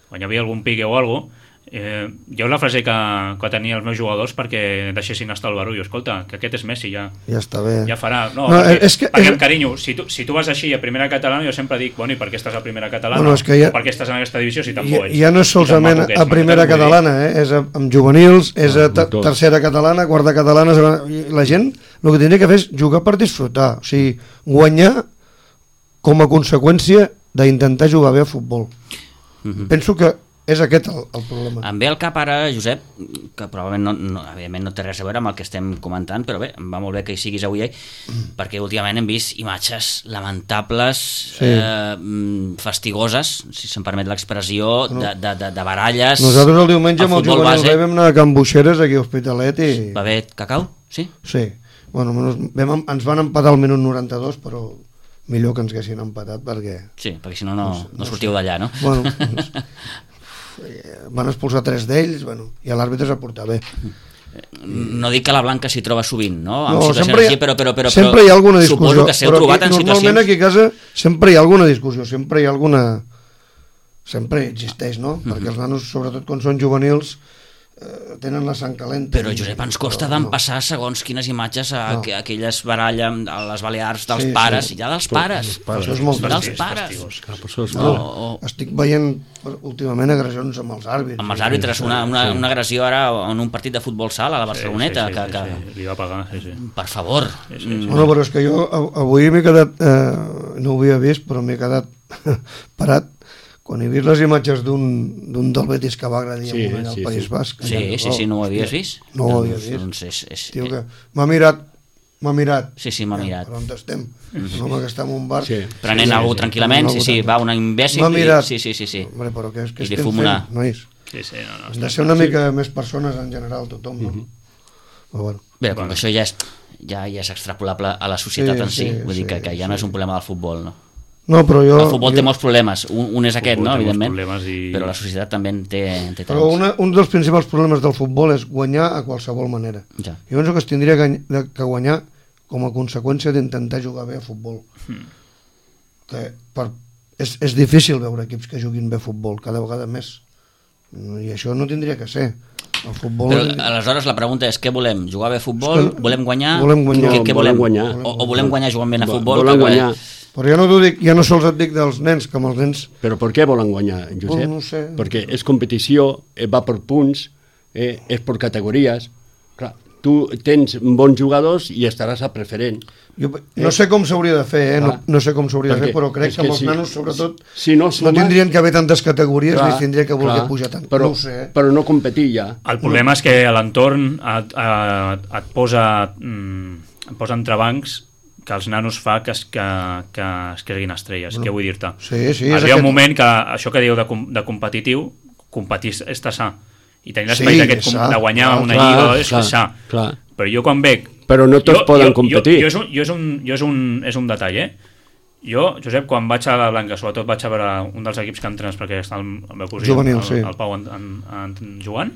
quan hi havia algun pique o alguna cosa, jo la frase que tenia els meus jugadors perquè deixessin estar el barullo, escolta, que aquest és Messi, ja està bé, ja farà, perquè amb carinyo, si tu vas així a primera catalana, jo sempre dic, bueno, i per què estàs a primera catalana, o per què estàs en aquesta divisió si tampoc ets, ja no és solament a primera catalana, és amb juvenils, és a tercera catalana, quarta catalana, la gent el que tindria que fer és jugar per disfrutar, o sigui, guanyar com a conseqüència d'intentar jugar bé a futbol. Penso que és aquest el problema. Em ve al cap ara, Josep, que probablement evidentment no té res a veure amb el que estem comentant, però bé, em va molt bé que hi siguis avui, perquè últimament hem vist imatges lamentables, fastigoses, si se'm permet l'expressió, de baralles. Nosaltres el diumenge amb el juvenil vam anar a Can Buixeres, aquí a Hospitalet, i... Va haver cacau? Sí? Sí. Bueno, ens van empatar al minut 92, però millor que ens haguessin empatat, perquè... Sí, perquè si no, no sortiu d'allà, no? Bueno, van expulsar 3 d'ells, i l'àrbitre s'ha portat bé. No dic que la Blanca s'hi troba sovint, no? Sempre hi ha alguna discussió, suposo que s'heu trobat en situacions... Normalment aquí a casa sempre hi ha alguna discussió, sempre hi ha alguna... Sempre existeix, no? Perquè els nanos, sobretot quan són juvenils, tenen la sang calenta. Però, Josep, ens costa d'empassar segons quines imatges aquelles baralles a les Balears dels pares, i ja dels pares. Això és molt dels pares. Estic veient últimament agressions amb els àrbitres. Amb els àrbitres, una agressió ara en un partit de futbol sala a la Barceloneta. Li va pagar, sí. Per favor. Bueno, però és que jo avui m'he quedat, no ho havia vist, però m'he quedat parat quan he vist les imatges d'un del Betis que va agredir al País Basc. Sí, no ho havies vist? No ho havia vist. Doncs Tio, que m'ha mirat. Sí, m'ha mirat. Per on estem? Un home que està en un bar. Prenent algú tranquil·lament, va, una imbècil. M'ha mirat. Sí. Hombre, però què estem fent, nois? Hem de ser una mica més persones en general, tothom, no? Bé, com que això ja és extrapolable a la societat en si, vull dir que ja no és un problema del futbol, no? No, però el futbol té molts problemes, un és aquest, no, evidentment, però la societat també en té tants. Però un dels principals problemes del futbol és guanyar a qualsevol manera. Jo penso que es tindria que guanyar com a conseqüència d'intentar jugar bé a futbol. És difícil veure equips que juguin bé a futbol, cada vegada més, i això no tindria que ser. El futbol... Però aleshores la pregunta és què volem? Jugar bé a futbol? Volem guanyar? Què volem? O volem guanyar jugant bé a futbol? Volem guanyar. Però ja no sols et dic dels nens, com els nens... Però per què volen guanyar, Josep? No sé. Perquè és competició, va per punts, és per categories. Clar, tu tens bons jugadors i estaràs a preferent. No sé com s'hauria de fer, no sé com s'hauria de fer, però crec que amb els nanos, sobretot, no tindrien que haver tantes categories ni tindria que voler pujar tant. Però no competir ja. El problema és que a l'entorn et posa entrebancs que els nanos fa que es creguin estrelles, què vull dir-te? Arriba un moment que això que diu de competitiu, competir és sa, i tenir l'esperit aquest de guanyar una lliga és sa, però jo quan veig... Però no tots poden competir. És un detall, Jo, Josep, quan vaig a la Blanca, sobretot vaig a veure un dels equips que entrenes, perquè està el meu cosí, el Pau jugant,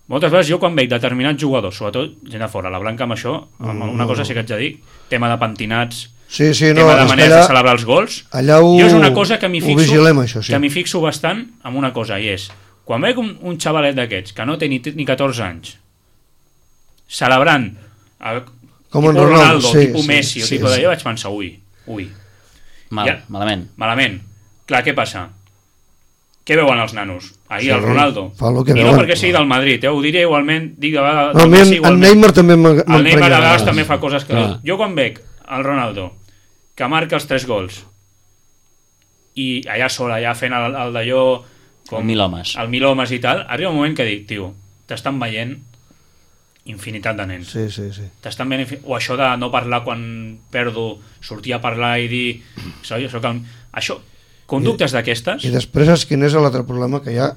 moltes vegades jo quan veig determinats jugadors, sobretot gent de fora, la Blanca amb això, una cosa sí que haig de dir, tema de pentinats, tema de maneres de celebrar els gols, jo és una cosa que m'hi fixo bastant amb una cosa, i és, quan veig un xavalet d'aquests que no té ni 14 anys celebrant com tipus Ronaldo, tipus Messi o tipus d'allò, vaig pensar, ui malament. Clar, què passa? Què veuen els nanos? Ahir el Ronaldo. I no perquè sigui del Madrid, ho diré igualment. El Neymar també m'emprenya. El Neymar a vegades també fa coses que... Jo quan veig el Ronaldo que marca els 3 gols i allà sol, allà fent el d'allò el mil homes i tal, arriba un moment que dic, tio, t'estan veient infinitat de nens. T'estan veient o això de no parlar quan perdo, sortir a parlar i dir això, conductes d'aquestes. I després és quin és l'altre problema que hi ha.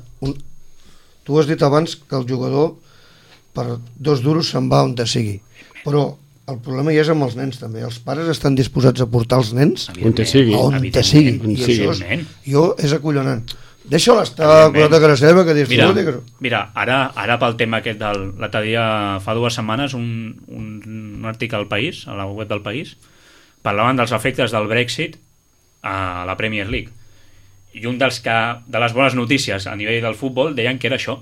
Tu has dit abans que el jugador per 2 duros se'n va on te sigui, però el problema ja és amb els nens també. Els pares estan disposats a portar els nens on te sigui. I això és acollonant. Deixa-la estar curata cara seva, que disfruti. Mira, ara pel tema aquest l'altre dia, fa 2 setmanes, un article al País, a la web del País, parlaven dels efectes del Brexit a la Premier League. I un de les bones notícies a nivell del futbol deien que era això,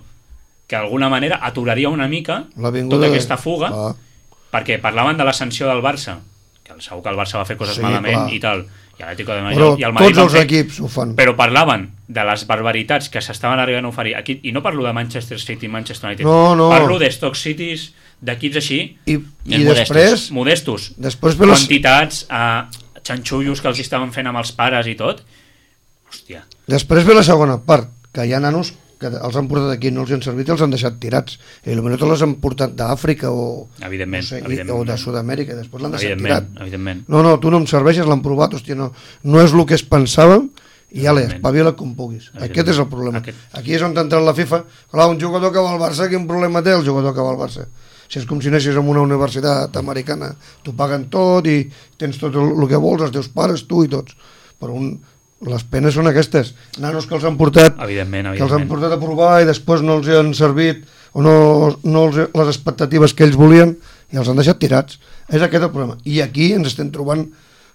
que d'alguna manera aturaria una mica tota aquesta fuga, perquè parlaven de la sanció del Barça, que segur que el Barça va fer coses malament i tal, i l'Atlético de Madrid i el Madrid tots els equips ho fan, però parlaven de les barbaritats que s'estaven arribant a oferir aquí, i no parlo de Manchester City, Manchester United, parlo de Stoke Cities, d'equips així i després modestos, quantitats xanxullos que els estaven fent amb els pares i tot. Hòstia. Després ve la segona part, que hi ha nanos que els han portat aquí, no els han servit i els han deixat tirats, i potser te les han portat d'Àfrica o de Sud-amèrica, i després l'han deixat tirat. No, tu no em serveixes, l'han provat, hòstia, no és el que es pensava, i espavila com puguis. Aquest és el problema. Aquí és on ha entrat la FIFA. Clar, un jugador que va al Barça, quin problema té el jugador que va al Barça? Si és com si anessis en una universitat americana, t'ho paguen tot i tens tot el que vols, els teus pares, tu i tots, però les penes són aquestes, nanos que els han portat que els han portat a provar i després no els han servit o les expectatives que ells volien i els han deixat tirats. És aquest el problema, i aquí ens estem trobant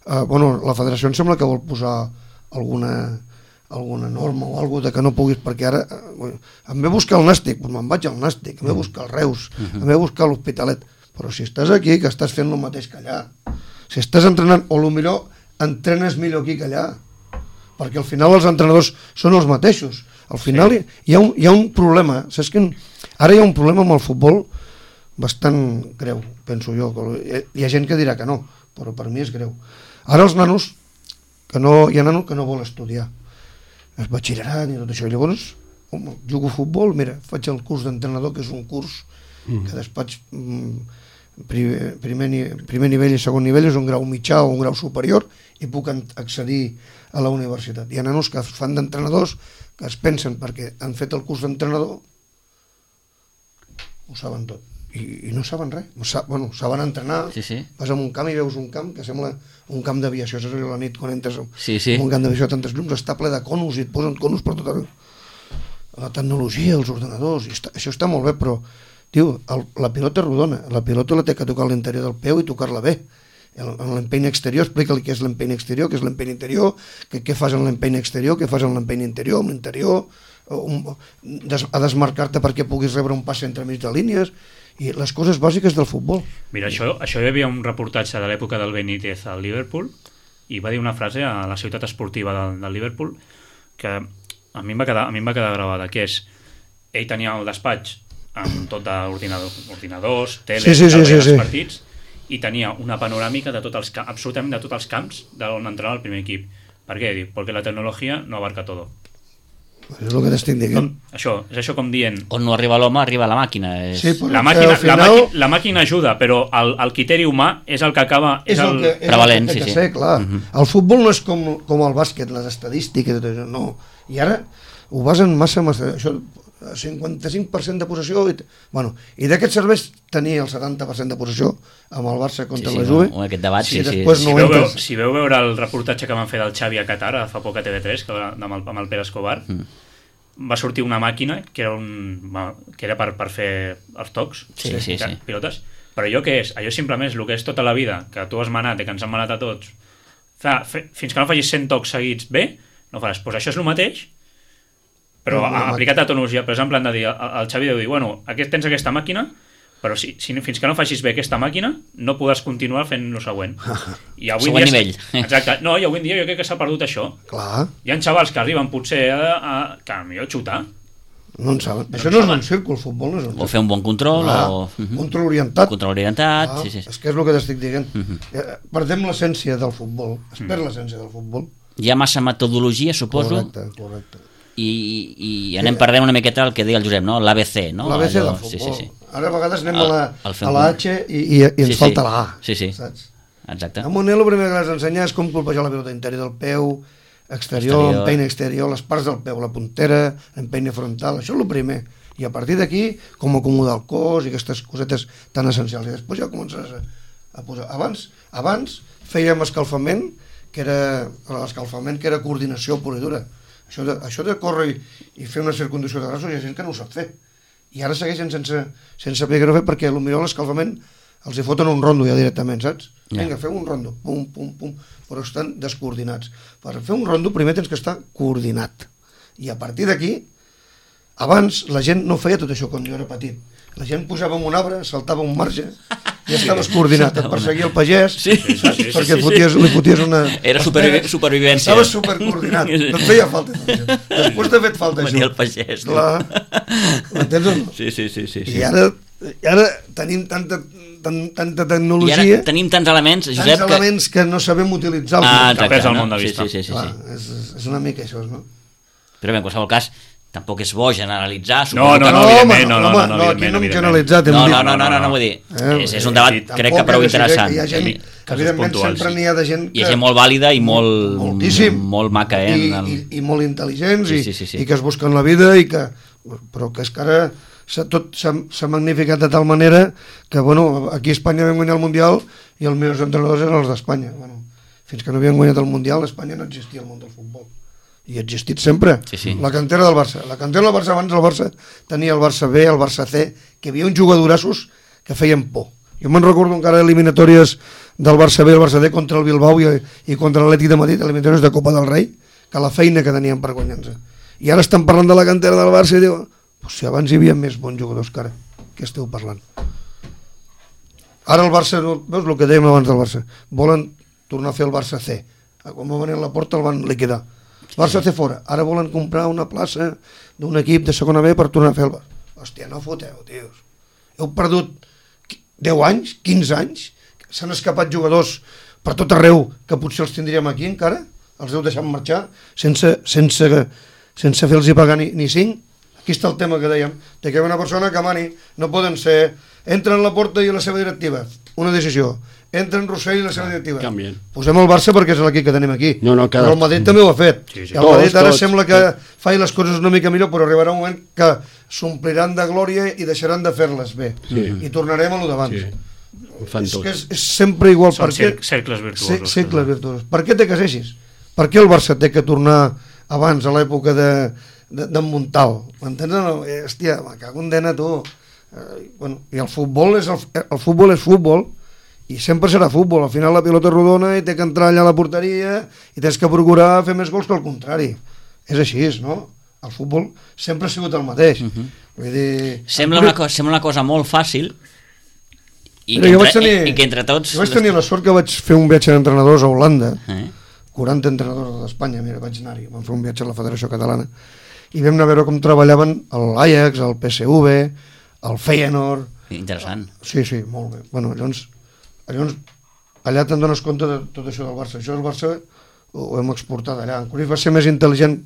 la federació em sembla que vol posar alguna norma o alguna de que no puguis, perquè ara em ve a buscar el Nàstic, me'n vaig al Nàstic, em ve a buscar el Reus, em ve a buscar l'Hospitalet, però si estàs aquí, que estàs fent el mateix que allà, si estàs entrenant, o millor entrenes millor aquí que allà, perquè al final els entrenadors són els mateixos. Al final hi ha un problema, saps que ara hi ha un problema amb el futbol bastant greu, penso jo. Hi ha gent que dirà que no, però per mi és greu. Ara els nanos, hi ha nanos que no vol estudiar el batxillerat i tot això, i llavors jugo a futbol, mira, faig el curs d'entrenador, que és un curs que després primer nivell i segon nivell és un grau mitjà o un grau superior i puc accedir a la universitat. Hi ha nanos que fan d'entrenadors que es pensen perquè han fet el curs d'entrenador ho saben tot i no saben res, saben entrenar. Vas a un camp i veus un camp que sembla un camp d'aviació, saps allò la nit quan entres en un camp d'aviació a tantes llums, està ple de conos i et posen conos per tot arreu. La tecnologia, els ordenadors, això està molt bé, però tio, la pilota rodona, la pilota la té que tocar a l'interior del peu i tocar-la bé. En l'empeny exterior, explica-li què és l'empeny exterior, què és l'empeny interior, què fas en l'empeny exterior, què fas en l'empeny interior, amb l'interior, a desmarcar-te perquè puguis rebre un passe entre mig de línies, i les coses bàsiques del futbol. Mira, això hi havia un reportatge de l'època del Benítez al Liverpool, i va dir una frase a la ciutat esportiva del Liverpool que a mi em va quedar gravada, que és, ell tenia el despatx amb tot d'ordinadors, teles, els partits, i tenia una panoràmica de absolutament de tots els camps d'on entrenava el primer equip. Per què? Perquè la tecnologia no abarca tot. És el que t'estic dient. És això com dient... On no arriba l'home, arriba la màquina. La màquina ajuda, però el criteri humà és el que acaba... És el prevalent, sí. Clar. El futbol no és com el bàsquet, les estadístiques, no. I ara ho basen massa... Això, 55% de possessió i d'aquests serveis tenia el 70% de possessió amb el Barça contra la Juve. Aquest debat, si veu veure el reportatge que van fer del Xavi a Qatar fa poc a TV3 amb el Pere Escobar, va sortir una màquina que era per fer els tocs pilotes, però allò què és? Allò simplement és el que és tota la vida que tu has manat i que ens han manat a tots. Fins que no facis 100 tocs seguits bé, no faràs. Doncs això és el mateix, però aplicat a tecnologia. Per exemple, han de dir, el Xavi deu dir, tens aquesta màquina, però fins que no facis bé aquesta màquina no podràs continuar fent el següent. I avui següent nivell. Exacte. No, i avui en dia jo crec que s'ha perdut això. Clar. Hi ha xavals que arriben potser que millor xutar. No en saben. Això no és un círcul, el futbol no és un círcul. O fer un bon control. Control orientat. És que és el que t'estic dient. Perdem l'essència del futbol. Es perd l'essència del futbol. Hi ha massa metodologia, suposo. Correcte. I anem perdent una miqueta el que deia el Josep, no? L'ABC, no? L'ABC del futbol. Ara a vegades anem a la H i ens falta la A. Saps? Exacte. A Monel el primer que has d'ensenyar és com colpejar la pilota interior del peu, exterior, empeny exterior, les parts del peu, la puntera, empeny frontal, això és el primer. I a partir d'aquí, com acomodar el cos i aquestes cosetes tan essencials. I després ja començaràs a posar. Abans fèiem escalfament, que era coordinació pura i dura. Això de córrer i fer una circundació de braços hi ha gent que no ho sap fer. I ara segueixen sense saber què fer, perquè potser l'escalfament els hi foten un rondo ja directament, saps? Vinga, feu un rondo, pum, pum, pum, però estan descoordinats. Per fer un rondo primer tens que estar coordinat. I a partir d'aquí, abans la gent no feia tot això quan jo era petit. La gent pujava en un arbre, saltava un marge, i estaves coordinat, et perseguia el pagès, saps? Perquè li foties una... Era supervivència. Estaves supercoordinat, no et feia falta tot això. Després t'ha fet falta això. Venia el pagès. Clar, m'entens o no? Sí. I ara tenim tanta tecnologia... I ara tenim tants elements, Josep... Tants elements que no sabem utilitzar. Que perd el món de vista. Sí. Clar, és una mica això, no? Però bé, en qualsevol cas, tampoc és bo generalitzar. No, aquí no hem generalitzat. No, vull dir, és un debat, crec que prou interessant. Hi ha gent, evidentment sempre n'hi ha de gent hi ha gent molt vàlida i molt maca, i molt intel·ligents, sí. i que es busquen la vida, però que és que ara tot s'ha magnificat de tal manera que, bueno, aquí a Espanya vam guanyar el Mundial i els millors entrenadors eren els d'Espanya. Bueno, fins que no havien guanyat el Mundial, a Espanya no existia el món del futbol. I ha existit sempre. Sí. La cantera del Barça. La cantera del Barça, abans el Barça tenia el Barça B, el Barça C, que hi havia uns jugadorassos que feien por. Jo me'n recordo encara eliminatòries del Barça B i el Barça D contra el Bilbao i contra l'Atlètic de Madrid, eliminatòries de Copa del Rei, que la feina que tenien per guanyar-se. I ara estan parlant de la cantera del Barça i diuen, si abans hi havia més bons jugadors que ara, què esteu parlant? Ara el Barça, veus el que dèiem abans del Barça, volen tornar a fer el Barça C. Quan va venir a la porta el van liquidar. Barça C fora, ara volen comprar una plaça d'un equip de segona B per tornar a fer el Barça. Hòstia, no foteu, tios. Heu perdut 10 anys, 15 anys, s'han escapat jugadors per tot arreu que potser els tindríem aquí encara, els heu deixat marxar sense fer-los pagar ni 5. Aquí està el tema que dèiem, de que una persona que mani no poden ser, entra en la porta i la seva directiva, una decisió, entra en Rossell i la seva directiva. Canvien. Posem el Barça perquè és l'equip que tenim aquí. Però el Madrid també ho ha fet. Sí. El Madrid ara sembla que fa les coses una mica millor, però arribarà un moment que s'ompliran de glòria i deixaran de fer-les bé. I tornarem a lo d'abans. És sempre igual. Són cercles virtuosos. Cercles virtuosos. Per què té que ser així? Per què el Barça té que tornar abans, a l'època d'en Montal? M'entens? Hòstia, me cago en dena, tu. I el futbol és futbol, i sempre serà futbol. Al final la pilota és rodona i té que entrar allà a la porteria i tens que procurar fer més gols que el contrari. És així, no? El futbol sempre ha sigut el mateix. Vull dir... Sembla una cosa molt fàcil i que entre tots... Jo vaig tenir la sort que vaig fer un viatge d'entrenadors a Holanda, 40 entrenadors d'Espanya, mira, vaig anar-hi, vam fer un viatge a la Federació Catalana, i vam anar a veure com treballaven l'Ajax, el PSV, el Feyenoord... Interessant. Sí, molt bé. Bueno, llavors allà te'n dones compte de tot això del Barça. Això del Barça ho hem exportat allà. En Cruyff va ser més intel·ligent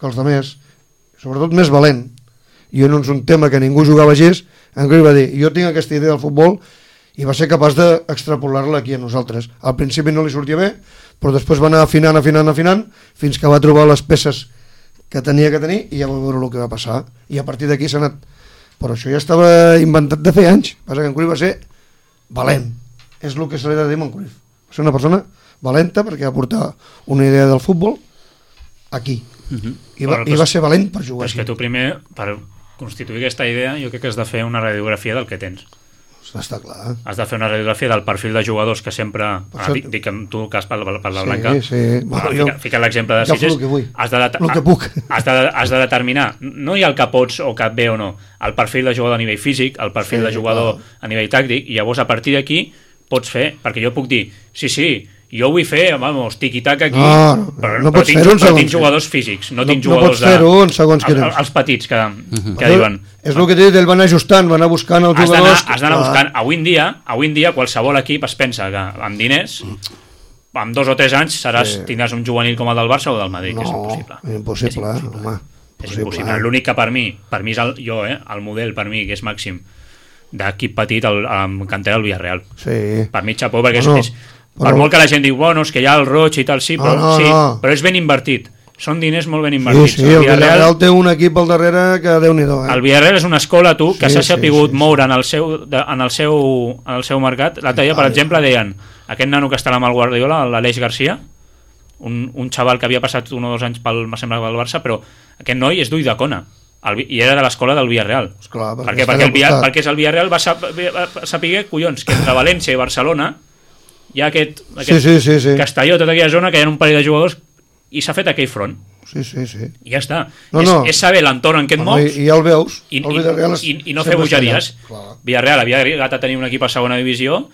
que els altres, sobretot més valent. I no és un tema que ningú jugava així. En Cruyff va dir, jo tinc aquesta idea del futbol, i va ser capaç d'extrapolar-la aquí a nosaltres. Al principi no li sortia bé, però després va anar afinant, fins que va trobar les peces que tenia que tenir, i ja va veure el que va passar. I a partir d'aquí s'ha anat. Però això ja estava inventat de fer anys. Passa que en Cruyff va ser valent. És el que se li ha de dir a en Cruyff. Va ser una persona valenta perquè va portar una idea del futbol aquí. I va ser valent per jugar. Però és que tu primer, per constituir aquesta idea, jo crec que has de fer una radiografia del que tens. Està clar. Has de fer una radiografia del perfil de jugadors que sempre... Dic que tu que has per la Blanca. Sí. Fica l'exemple de Sitges. Has de determinar, no hi ha el que pots o que et ve o no, el perfil de jugador a nivell físic, el perfil de jugador a nivell tàctic, i llavors a partir d'aquí pots fer, perquè jo puc dir, sí, jo vull fer, vamos, tiqui-tac aquí, però tinc jugadors físics, no tinc jugadors els petits que diuen... És el que t'he dit, el van ajustant, van anar buscant els jugadors... Has d'anar buscant. Avui en dia qualsevol equip es pensa que amb diners, amb 2 o 3 anys tindràs un juvenil com el del Barça o del Madrid, que és impossible. Impossible, home. És impossible. L'únic que per mi és el model per mi, que és màxim d'equip petit amb cantera del Villarreal. Per mi xapó, perquè és per molt que la gent diu, bueno, és que hi ha el Roig i tal, però és ben invertit. són diners molt ben invertits. Sí, el Villarreal té un equip al darrere que Déu-n'hi-do. El Villarreal és una escola, que s'ha sapigut moure en el seu mercat. L'altre dia, per exemple, deien aquest nano que estarà amb el Guardiola, l'Aleix Garcia, un xaval que havia passat 1 o 2 anys pel Barça, però aquest noi és d'Ulldecona i era de l'escola del Villarreal. Esclar, perquè és el Villarreal va saber, collons, que entre València i Barcelona hi ha aquest Castelló, tota aquella zona, que hi ha un parell de jugadors i s'ha fet aquell front. Sí. I ja està. És saber l'entorn en què et mous i ja el veus. I no fer bogeries. Villarreal havia arribat a tenir un equip a segona divisió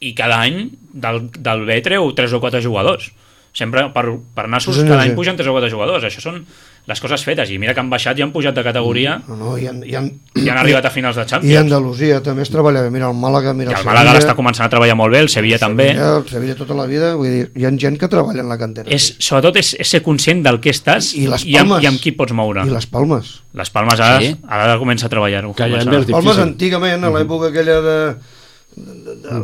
i cada any del B treu 3 o 4 jugadors. Sempre per nassos cada any pugen 3 o 4 jugadors. Això són les coses fetes, i mira que han baixat i han pujat de categoria i han arribat a finals de Champions. I Andalusia també es treballa bé, mira el Màlaga, el Màlaga està començant a treballar molt bé, el Sevilla també. El Sevilla tota la vida, vull dir, hi ha gent que treballa en la cantera. Sobretot és ser conscient del que estàs i amb qui pots moure. I les Palmes. Les Palmes ara comença a treballar-ho. Les Palmes antigament, a l'època aquella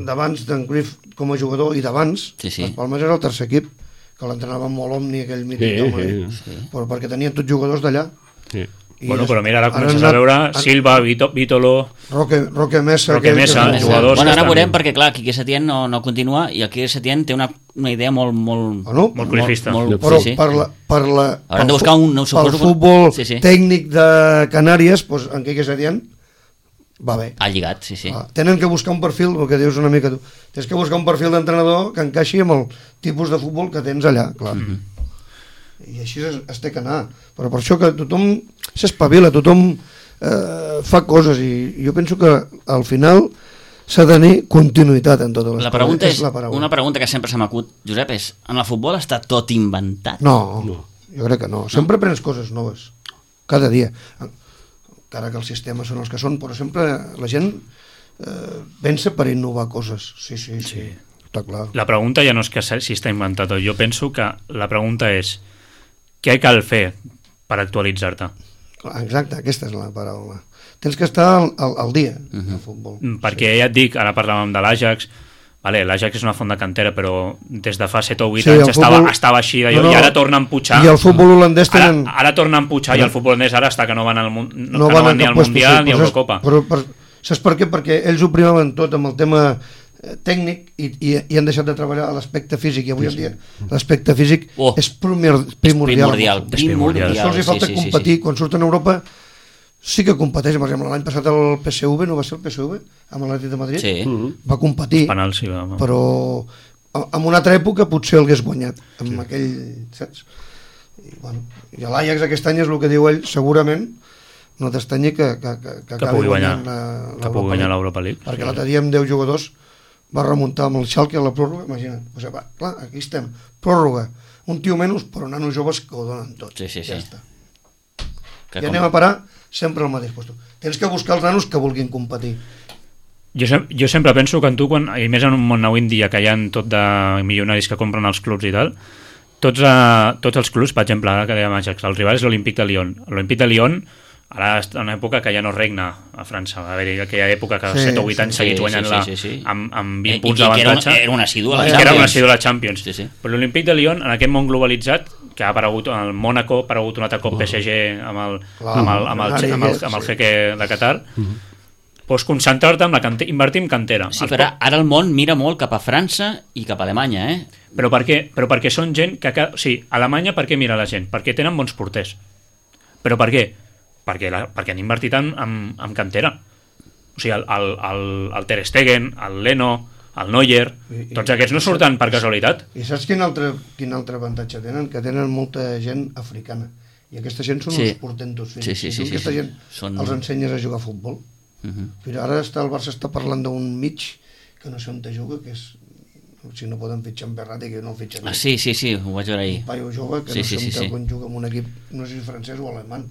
d'abans d'en Cruyff com a jugador i d'abans, les Palmes era el tercer equip, que l'entrenava molt Omni, aquell mític però perquè tenien tots jugadors d'allà. Però mira, ara comences a veure Silva, Vítolo, Roque Mesa, jugadors. Ara veurem, perquè clar, Quique Setién no continua i el Quique Setién té una idea molt cruifista. Però pel futbol tècnic de Canàries, en Quique Setién va bé. Ha lligat, sí. Tenen que buscar un perfil, el que dius una mica tu, tens que buscar un perfil d'entrenador que encaixi amb el tipus de futbol que tens allà, clar. I així es té que anar, però per això que tothom s'espavila, tothom fa coses, i jo penso que al final s'ha de tenir continuïtat en totes les coses. Una pregunta que sempre se m'acut, Josep, és, en el futbol està tot inventat? No, jo crec que no, sempre prens coses noves cada dia, encara que els sistemes són els que són, però sempre la gent pensa per innovar coses. Sí, està clar. La pregunta ja no és que si està inventat, jo penso que la pregunta és què cal fer per actualitzar-te? Exacte, aquesta és la paraula. Tens que estar al dia al futbol. Perquè ja et dic, ara parlàvem de l'Ajax, l'Ajax és una font de cantera, però des de fa 7 o 8 anys estava així i ara torna a empujar. I el futbol holandès tenen... Ara torna a empujar i el futbol holandès ara està que no van ni al Mundial ni a Eurocopa. Saps per què? Perquè ells ho primaven tot amb el tema tècnic i han deixat de treballar a l'aspecte físic, i avui en dia l'aspecte físic és primordial. Això els falta competir. Quan surten a Europa sí que competeix, per exemple, l'any passat el PSV, no va ser el PSV, amb l'Atlètic de Madrid? Sí. Va competir, però en una altra època potser l'hagués guanyat, amb aquell, saps? I l'Ajax aquest any és el que diu ell, segurament, no t'estanyi que pugui guanyar l'Europa League. Perquè l'altre dia amb 10 jugadors va remuntar amb el Schalke a la pròrroga, imagina't. Clar, aquí estem, pròrroga, un tio menys, però nanos joves que ho donen tot. Ja està. I anem a parar sempre al mateix lloc. Tens que buscar els nanos que vulguin competir. Jo sempre penso que i més en un món avui en dia que hi ha tot de milionaris que compren els clubs i tal, tots els clubs, per exemple, ara que dèiem Ajax, el rival és l'Olympique de Lyon. L'Olympique de Lyon ara és una època que ja no regna a França, va haver-hi aquella època que 7 o 8 anys seguits guanyant-la amb 20 punts d'avantatge, era un assidu a la Champions. Però l'Olympique de Lyon, en aquest món globalitzat, que ha aparegut el Mónaco, ha aparegut un altre cop PSG amb el jeque de Qatar, pots concentrar-te en invertir en cantera. Sí, però ara el món mira molt cap a França i cap a Alemanya, Però perquè són gent que... Sí, Alemanya per què mira la gent? Perquè tenen bons porters. Però per què? Perquè han invertit en cantera. O sigui, el Ter Stegen, el Leno, el Neuer, tots aquests no surten per casualitat. I saps quin altre avantatge tenen? Que tenen molta gent africana. I aquesta gent són uns portentos fins. Aquesta gent els ensenyes a jugar a futbol. Però ara el Barça està parlant d'un mig que no sé on te juga, que és... Si no poden fitxar en Berratti, que no el fitxen. Sí, ho vaig veure ahir. Un paio jove que no sé on juga en un equip, no sé si francès o alemany.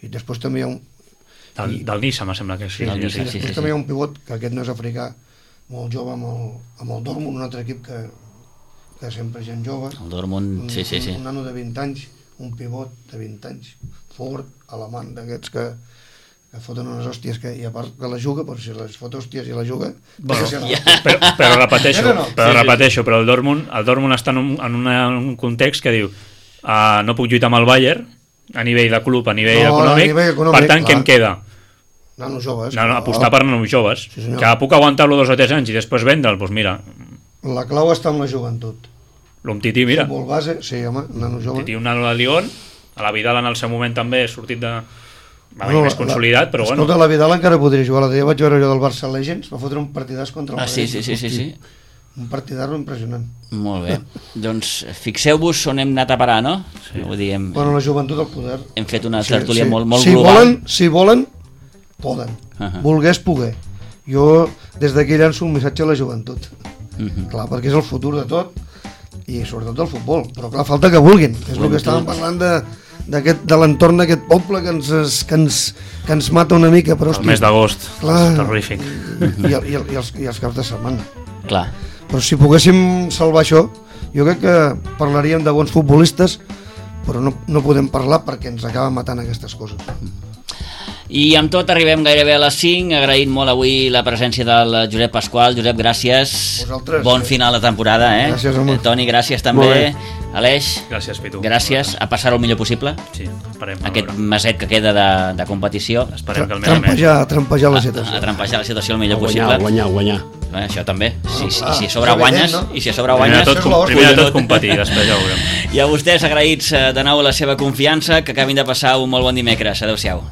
I després també hi ha un... Del Niça, me sembla que sí. Després també hi ha un pivot, que aquest no és africà, molt jove amb el Dortmund, un altre equip que sempre és gent jove. El Dortmund, sí. Un nano de 20 anys, un pivot de 20 anys, fort, alemany, d'aquests que foten unes hòsties i a part que la juga, però si les fot hòsties i la juga... Però repeteixo, però el Dortmund està en un context que diu no puc lluitar amb el Bayern a nivell de club, a nivell econòmic, per tant, què em queda? Nanos joves. Apostar per nanos joves, que puc aguantar-lo 2 o 3 anys i després vendre'l, doncs mira. La clau està en la joventut. L'Umtiti, mira. Futbol base, sí, home, nanos joves. Titi, un nano de Lyon, a la Vidal en el seu moment també sortit de... Va més consolidat, però bueno. Escolta, la Vidal encara podria jugar. L'altre dia vaig veure jo del Barça Legends, va fotre un partidàs contra el Madrid. Sí. Un partidàs impressionant. Molt bé. Doncs fixeu-vos on hem anat a parar, no? Sí. Vull dir, bueno, la joventut del poder. Hem fet una tertúlia molt global. Si volen, poden. Volgués, poder. Jo, des d'aquí llanço un missatge a la joventut. Clar, perquè és el futur de tot i sobretot del futbol. Però clar, falta que vulguin. És el que estàvem parlant de l'entorn d'aquest poble que ens mata una mica. Però, el mes d'agost, terrorífic. I els caps de setmana. Clar. Però si poguéssim salvar això, jo crec que parlaríem de bons futbolistes, però no podem parlar perquè ens acaba matant aquestes coses. I amb tot arribem gairebé a les 5, agraït molt avui la presència del Josep Pasqual. Josep, gràcies. Vosaltres. Bon final de temporada, eh? Gràcies, home. Toni, gràcies també. Aleix. Gràcies, Pitu. Gràcies. A passar-ho el millor possible. Sí, esperem. Aquest meset que queda de competició. Esperem que el més. Trampejar la situació. A trampejar la situació el millor possible. Guanyar. Això també. Si a sobre guanyes, primer de tot competir, després ja ho veurem. I a vostès agraïts de nou la seva confiança, que acabin de passar un molt bon dimecres. Adéu-siau.